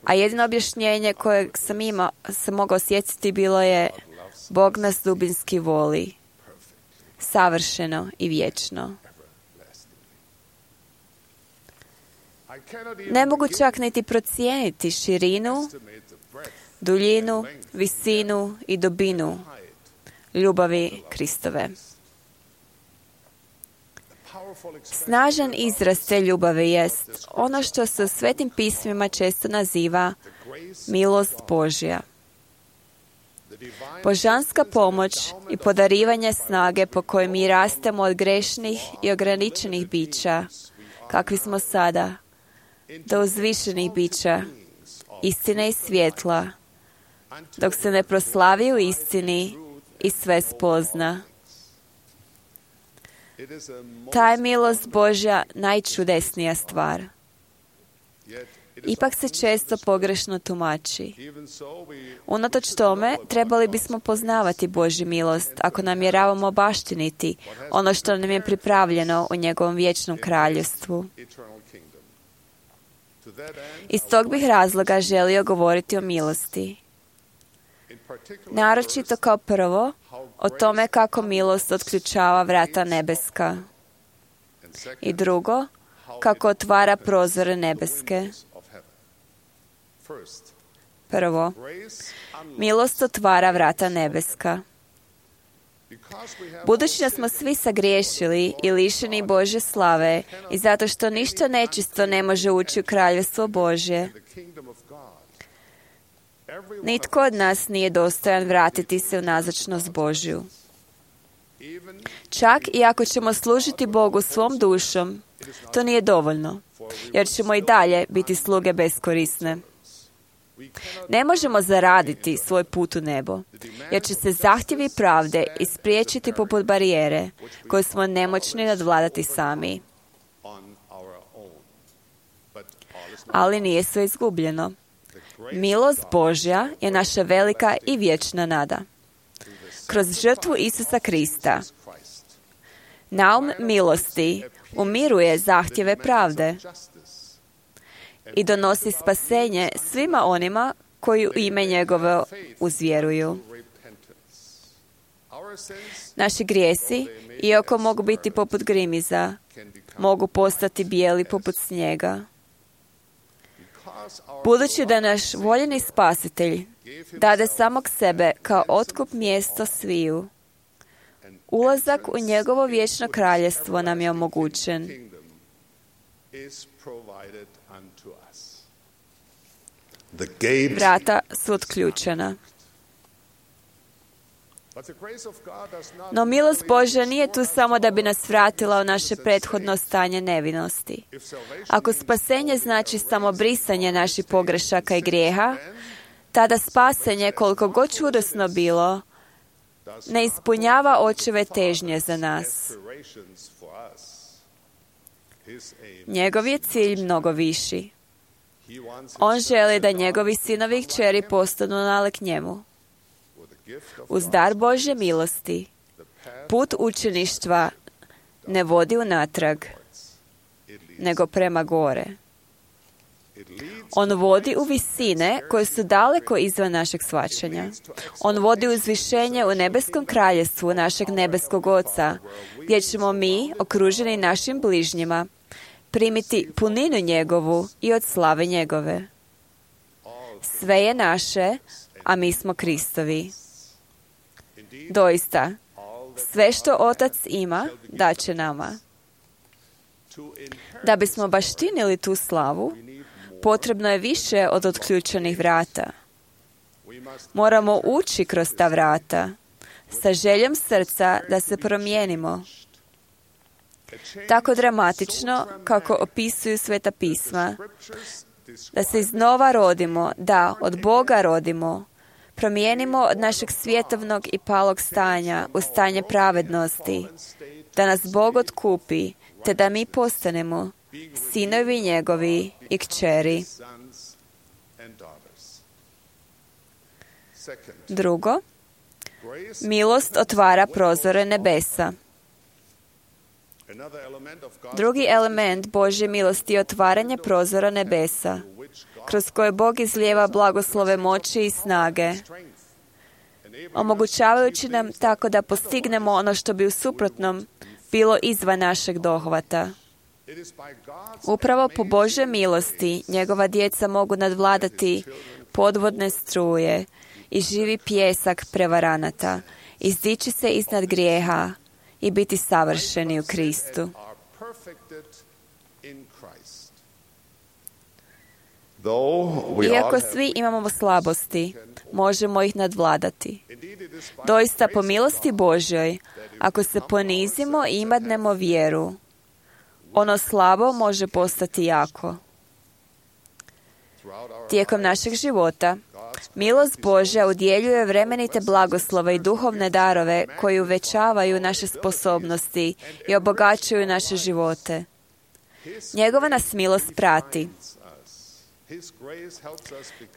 a jedino objašnjenje kojeg sam mogao osjetiti bilo je: Bog nas dubinski voli, savršeno i vječno. Ne mogu čak niti procijeniti širinu, duljinu, visinu i dubinu ljubavi Kristove. Snažan izraz te ljubavi jest ono što se u Svetim pismima često naziva milost Božja. Božanska pomoć i podarivanje snage po kojoj mi rastemo od grešnih i ograničenih bića, kakvi smo sada, do uzvišenih bića, istine i svjetla, dok se ne proslavi u istini i sve spozna. Ta je milost Božja najčudesnija stvar. Ipak se često pogrešno tumači. Unatoč tome, trebali bismo poznavati Božju milost ako namjeravamo baštiniti ono što nam je pripravljeno u njegovom vječnom kraljevstvu. Iz tog bih razloga želio govoriti o milosti. Naročito kao prvo, o tome kako milost otključava vrata nebeska. I drugo, kako otvara prozore nebeske. Prvo, milost otvara vrata nebeska. Budući da smo svi sagriješili i lišeni Božje slave i zato što ništa nečisto ne može ući u kraljevstvo Božje, nitko od nas nije dostojan vratiti se u nazočnost Božju. Čak i ako ćemo služiti Bogu svom dušom, to nije dovoljno, jer ćemo i dalje biti sluge beskorisne. Ne možemo zaraditi svoj put u nebo, jer će se zahtjevi pravde ispriječiti poput barijere koju smo nemoćni nadvladati sami. Ali nije sve izgubljeno. Milost Božja je naša velika i vječna nada. Kroz žrtvu Isusa Krista, naum milosti umiruje zahtjeve pravde i donosi spasenje svima onima koji u ime njegove uzvjeruju. Naši grijesi, iako mogu biti poput grimiza, mogu postati bijeli poput snijega. Budući da naš voljeni spasitelj dade samog sebe kao otkup mjesto sviju, ulazak u njegovo vječno kraljevstvo nam je omogućen. Vrata su otključena. No milost Božja nije tu samo da bi nas vratila u naše prethodno stanje nevinosti. Ako spasenje znači samo brisanje naših pogrešaka i grijeha, tada spasenje, koliko god čudesno bilo, ne ispunjava očeve težnje za nas. Njegov je cilj mnogo viši. On želi da njegovi sinovi i kćeri postanu nalik njemu. Uz dar Božje milosti, put učeništva ne vodi unatrag, nego prema gore. On vodi u visine koje su daleko izvan našeg shvaćanja. On vodi u uzvišenje u nebeskom kraljevstvu našeg nebeskog Oca, gdje ćemo mi, okruženi našim bližnjima, primiti puninu njegovu i od slave njegove. Sve je naše, a mi smo Kristovi. Doista, sve što Otac ima, daće nama. Da bismo baštinili tu slavu, Potrebno je više od otključenih vrata. Moramo ući kroz ta vrata sa željom srca da se promijenimo. Tako dramatično kako opisuju Sveta pisma, da se iznova rodimo, da od Boga rodimo, promijenimo od našeg svjetovnog i palog stanja u stanje pravednosti, da nas Bog otkupi, te da mi postanemo sinovi njegovi i kćeri. Drugo, milost otvara prozore nebesa. Drugi element Božje milosti je otvaranje prozora nebesa, kroz koje Bog izlijeva blagoslove moći i snage, omogućavajući nam tako da postignemo ono što bi u suprotnom bilo izvan našeg dohvata. Upravo po Božjoj milosti njegova djeca mogu nadvladati podvodne struje i živi pijesak prevaranata, izdići se iznad grijeha i biti savršeni u Kristu. Iako svi imamo slabosti, možemo ih nadvladati. Doista po milosti Božjoj, ako se ponizimo i imadnemo vjeru, ono slabo može postati jako. Tijekom našeg života, milost Božja udjeljuje vremenite blagoslove i duhovne darove koji uvećavaju naše sposobnosti i obogaćuju naše živote. Njegova nas milost prati.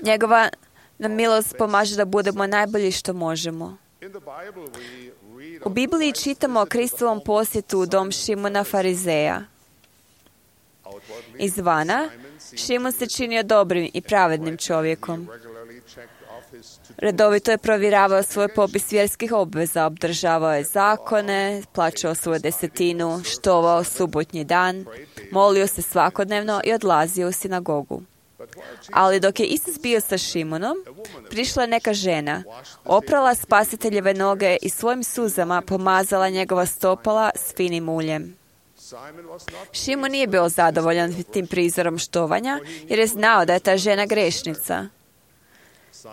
Njegova nam milost pomaže da budemo najbolji što možemo. U Bibliji čitamo o Kristovom posjetu u dom Šimona Farizeja. Izvana, Šimon se činio dobrim i pravednim čovjekom. Redovito je provjeravao svoj popis vjerskih obveza, obdržavao je zakone, plaćao svoju desetinu, štovao subotnji dan, molio se svakodnevno i odlazio u sinagogu. Ali dok je Isus bio sa Šimonom, prišla je neka žena, oprala Spasiteljeve noge i svojim suzama pomazala njegova stopala s finim uljem. Šimon nije bio zadovoljan tim prizorom štovanja, jer je znao da je ta žena grešnica.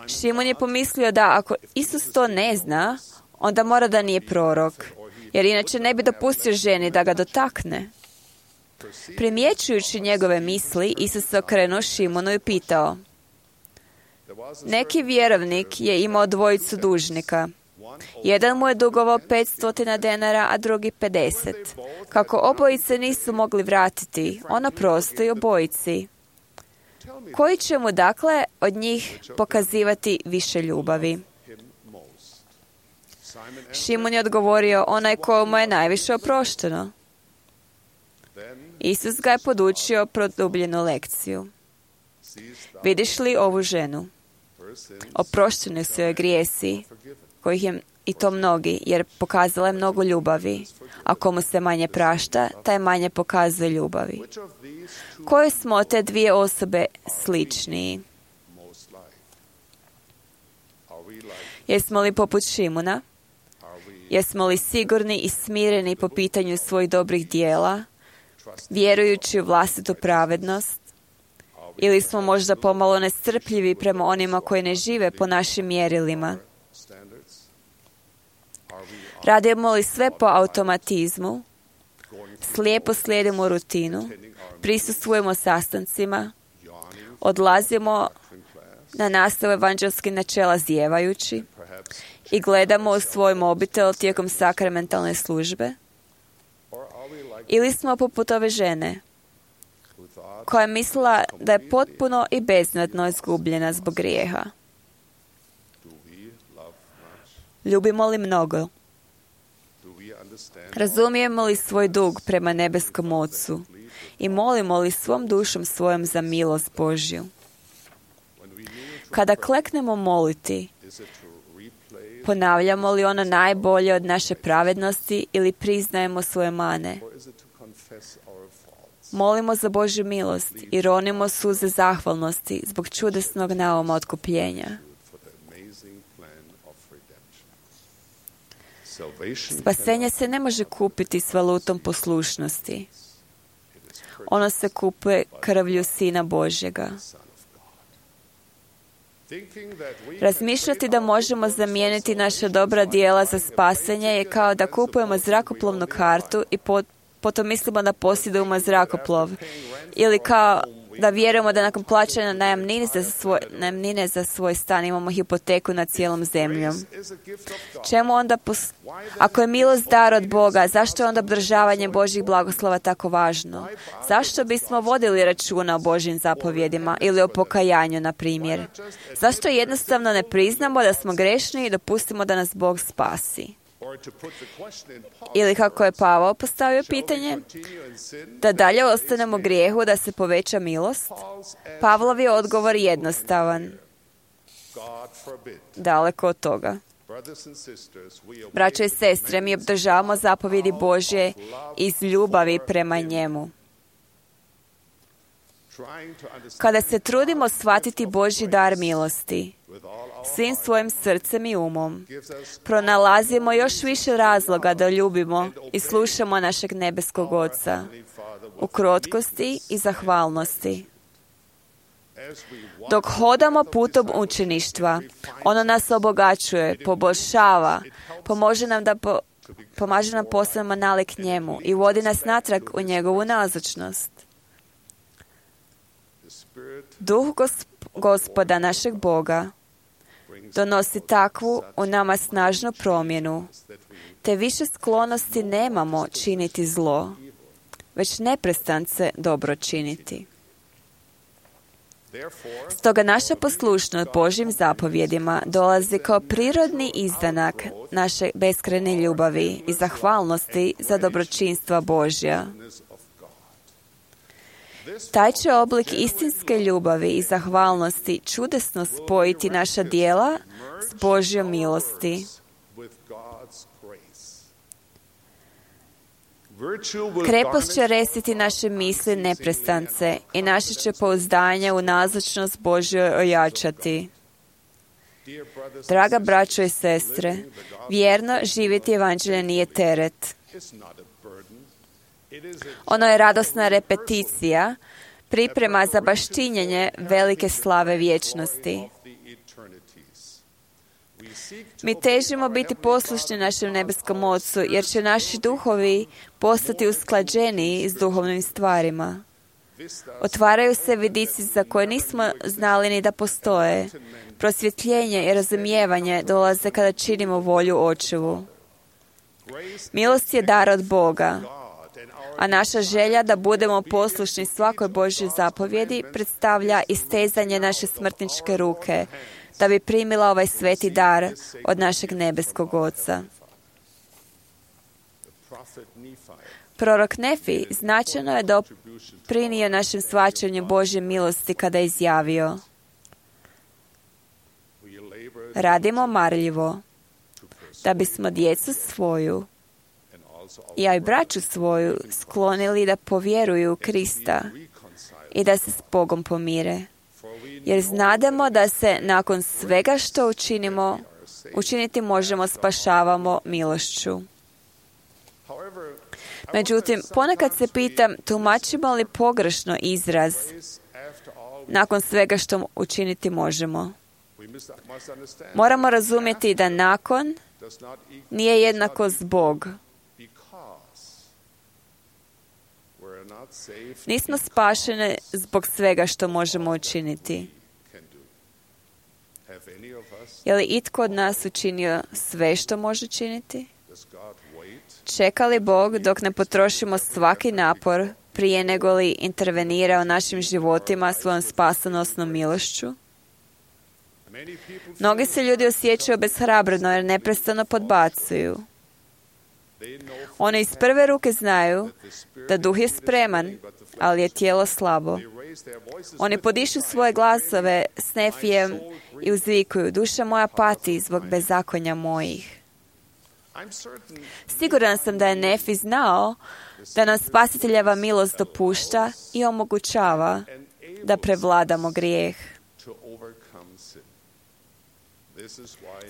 Šimon je pomislio da ako Isus to ne zna, onda mora da nije prorok, jer inače ne bi dopustio ženi da ga dotakne. Primjećujući njegove misli, Isus se okrenuo Šimonu i pitao: neki vjerovnik je imao dvojicu dužnika. Jedan mu je dugovao 500 denara, a drugi 50. Kako obojice nisu mogli vratiti, on oprosti obojici. Koji će mu dakle od njih pokazivati više ljubavi? Šimon je odgovorio: onaj kojemu je najviše oprošteno. Isus ga je podučio produbljenu lekciju. Vidiš li ovu ženu? Oprošteni su joj grijesi, kojih je i to mnogi, jer pokazala je mnogo ljubavi. A komu se manje prašta, taj manje pokazuje ljubavi. Koje smo te dvije osobe sličniji? Jesmo li poput Šimuna? Jesmo li sigurni i smireni po pitanju svojih dobrih dijela, vjerujući u vlastitu pravednost? Ili smo možda pomalo nestrpljivi prema onima koji ne žive po našim mjerilima? Radimo li sve po automatizmu? Slijepo slijedimo rutinu? Prisustvujemo sastancima? Odlazimo na nastavu evanđelskih načela zijevajući? I gledamo u svoj mobitel tijekom sakramentalne službe? Ili smo poput ove žene koja je mislila da je potpuno i beznadno izgubljena zbog grijeha? Ljubimo li mnogo? Razumijemo li svoj dug prema nebeskom Ocu i molimo li svom dušom svojom za milost Božju? Kada kleknemo moliti, ponavljamo li ono najbolje od naše pravednosti ili priznajemo svoje mane? Molimo za Božju milost i ronimo suze zahvalnosti zbog čudesnog nauma otkupljenja. Spasenje se ne može kupiti s valutom poslušnosti. Ono se kupuje krvlju Sina Božjega. Razmišljati da možemo zamijeniti naša dobra djela za spasenje je kao da kupujemo zrakoplovnu kartu i potom mislimo da posjedujemo zrakoplov. Ili kao da vjerujemo da nakon plaćanja najamnine za svoj stan imamo hipoteku nad cijelom zemljom. Čemu onda, ako je milost dar od Boga, zašto je onda obdržavanje Božjih blagoslova tako važno? Zašto bismo vodili računa o Božjim zapovjedima ili o pokajanju, na primjer? Zašto jednostavno ne priznamo da smo grešni i dopustimo da nas Bog spasi? Ili kako je Pavao postavio pitanje, da dalje ostanemo u grijehu da se poveća milost? Pavlov je odgovor jednostavan. Daleko od toga. Braćo i sestre, mi obdržavamo zapovjedi Božje iz ljubavi prema njemu. Kada se trudimo shvatiti Božji dar milosti, svim svojim srcem i umom, pronalazimo još više razloga da ljubimo i slušamo našeg nebeskog Oca u krotkosti i zahvalnosti. Dok hodamo putom učeništva, ono nas obogaćuje, poboljšava, pomaže nam postanemo nalik njemu i vodi nas natrag u njegovu nazočnost. Duh Gospoda našeg Boga donosi takvu u nama snažnu promjenu, te više sklonosti nemamo činiti zlo, već neprestance dobro činiti. Stoga naša poslušnost Božjim zapovjedima dolazi kao prirodni izdanak naše beskrajne ljubavi i zahvalnosti za dobročinstva Božja. Taj će oblik istinske ljubavi i zahvalnosti čudesno spojiti naša djela s Božjom milosti. Krepost će resiti naše misli neprestance i naše će pouzdanje u nazočnost Božju ojačati. Draga braćo i sestre, vjerno živjeti evanđelje nije teret. Ono je radosna repeticija, priprema za baštinjenje velike slave vječnosti. Mi težimo biti poslušni našem nebeskom Ocu, jer će naši duhovi postati usklađeniji s duhovnim stvarima. Otvaraju se vidici za koje nismo znali ni da postoje. Prosvjetljenje i razumijevanje dolaze kada činimo volju Očevu. Milost je dar od Boga, a naša želja da budemo poslušni svakoj Božjoj zapovjedi predstavlja istezanje naše smrtničke ruke, da bi primila ovaj sveti dar od našeg nebeskog Oca. Prorok Nefi značajno je doprinio našem shvaćanju Božje milosti kada je izjavio: radimo marljivo, da bismo djecu svoju, ja i braću svoju, sklonili da povjeruju u Krista i da se s Bogom pomire. Jer znademo da se nakon svega što učiniti možemo spašavamo milošću. Međutim, ponekad se pitam, tumačimo li pogrešno izraz nakon svega što učiniti možemo? Moramo razumjeti da nakon nije jednako zbog. Nismo spašeni zbog svega što možemo učiniti. Je li itko od nas učinio sve što može činiti? Čeka li Bog dok ne potrošimo svaki napor prije nego li intervenira u našim životima svojom spasonosnom milošću? Mnogi se ljudi osjećaju obeshrabreno jer neprestano podbacuju. Oni iz prve ruke znaju da duh je spreman, ali je tijelo slabo. Oni podišu svoje glasove s Nefijem i uzvikuju: duša moja pati zbog bezakonja mojih. Siguran sam da je Nefi znao da nam Spasiteljeva milost dopušta i omogućava da prevladamo grijeh.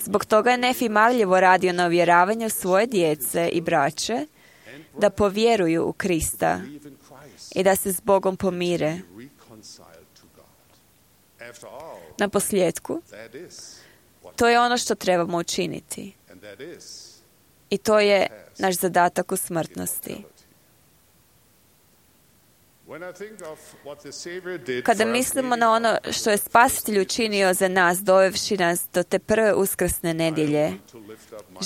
Zbog toga je Nefi marljivo radio na uvjeravanju svoje djece i braće da povjeruju u Krista i da se s Bogom pomire. Na posljedku, to je ono što trebamo učiniti. I to je naš zadatak u smrtnosti. Kada mislimo na ono što je Spasitelj učinio za nas, dovevši nas do te prve uskrsne nedjelje,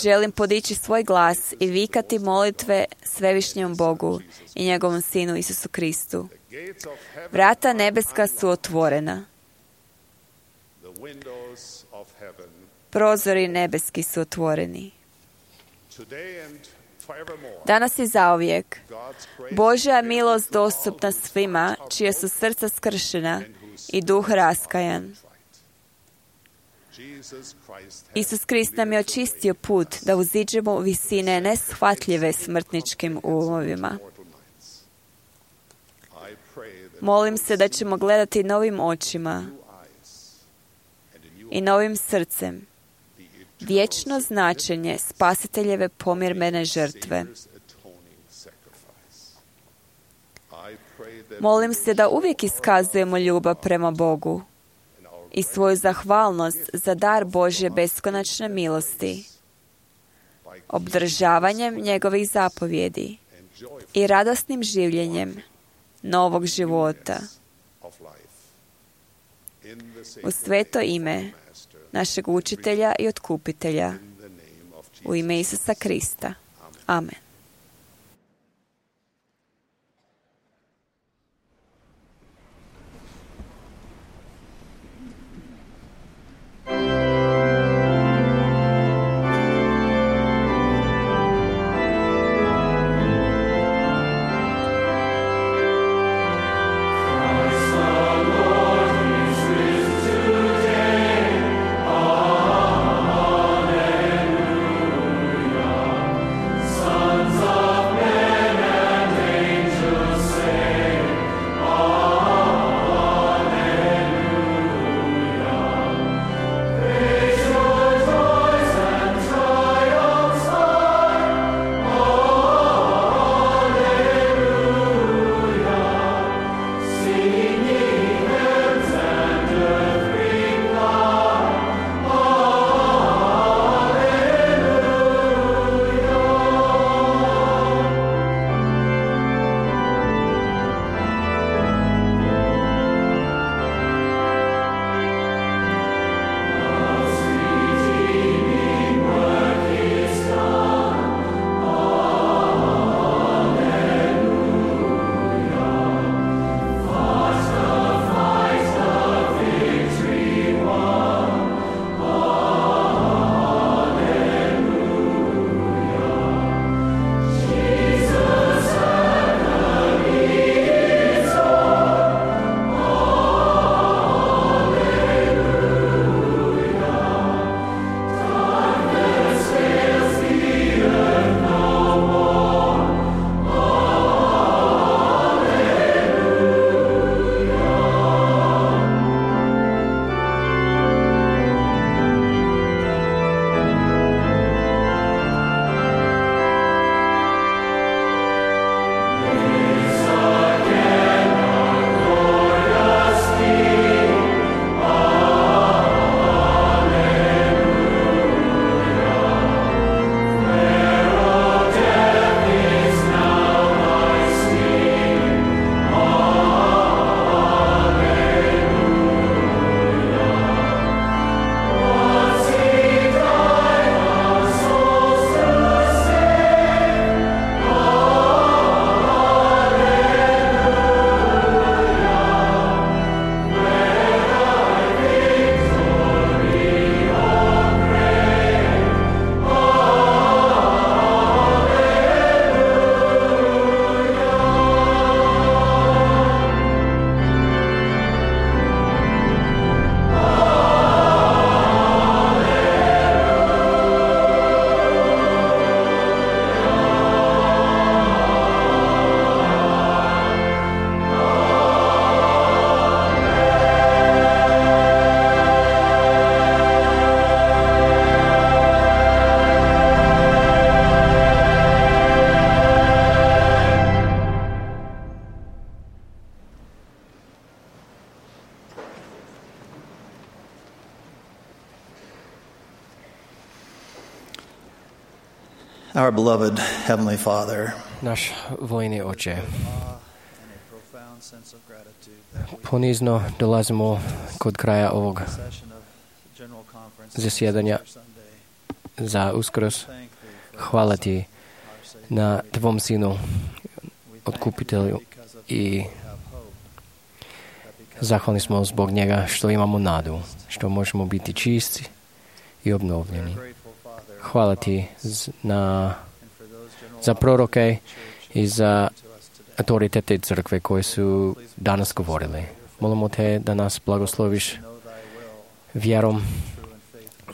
želim podići svoj glas i vikati molitve Svevišnjem Bogu i njegovom Sinu Isusu Kristu. Vrata nebeska su otvorena. Prozori nebeski su otvoreni. Danas i zauvijek Božja milost dostupna svima čije su srca skršena i duh raskajan. Isus Krist nam je očistio put da uziđemo u visine neshvatljive smrtničkim umovima. Molim se da ćemo gledati novim očima i novim srcem vječno značenje Spasiteljeve pomirmene žrtve. Molim se da uvijek iskazujemo ljubav prema Bogu i svoju zahvalnost za dar Božje beskonačne milosti, obdržavanjem njegovih zapovjedi i radosnim življenjem novog života. U sveto ime našeg učitelja i otkupitelja, u ime Isusa Krista. Amen. Son Our beloved Heavenly Father, naš vojni Oče, ponizno dolazimo kod kraja ovog zasjedanja za Uskrs. Hvala Ti na Tvom Sinu, Otkupitelju, i zahvalni smo zbog njega što imamo nadu, što možemo biti čisti i obnovljeni. Hvala Ti za proroke i za autoritete crkve koji su danas govorili. Molimo Te da nas blagosloviš vjerom.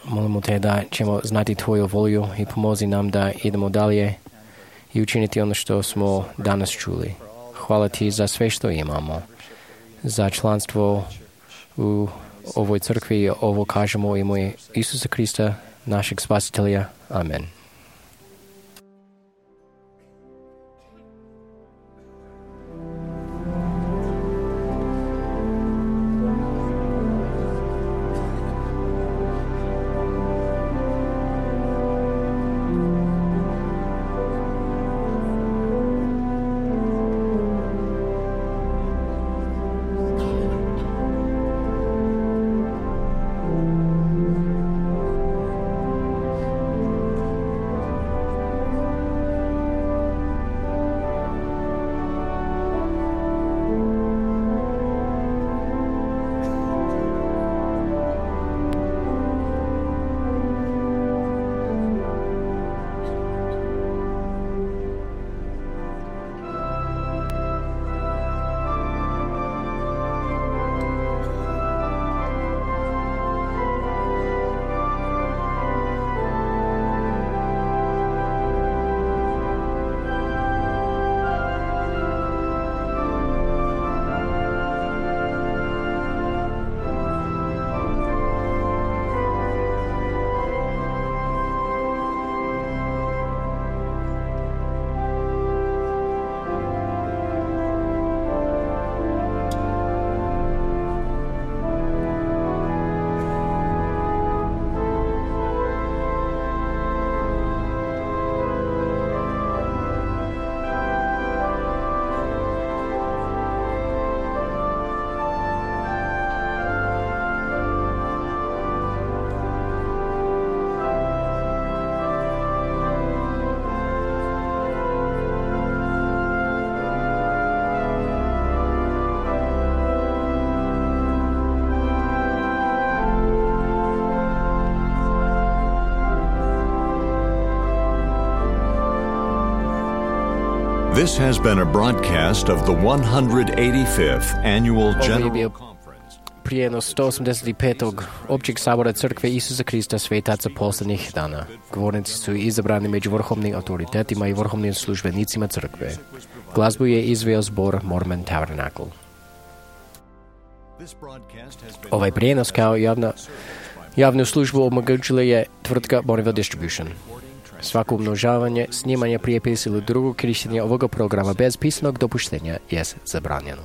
Molimo Te da ćemo znati Tvoju volju i pomozi nam da idemo dalje i učiniti ono što smo danas čuli. Hvala Ti za sve što imamo, za članstvo u ovoj crkvi. Ovo kažemo u ime Isusa Krista, našeg Spasitelja. Amen. This has been a broadcast of the 185th Annual General Conference. Prijenos 185. Općeg sabora Crkve Isusa Krista svetaca posljednjih dana. Govornici su izabrani među vrhovnim autoritetima i vrhovnim službenicima Crkve. Glazbu je izveo zbor Mormon Tabernacle. Ovaj prijenos kao javnu službu omogućila je tvrtka Bonneville Distribution. Svako umnožavanje, snimanje, prijepis ili drugo korištenje ovoga programa bez pisanog dopuštenja je zabranjeno.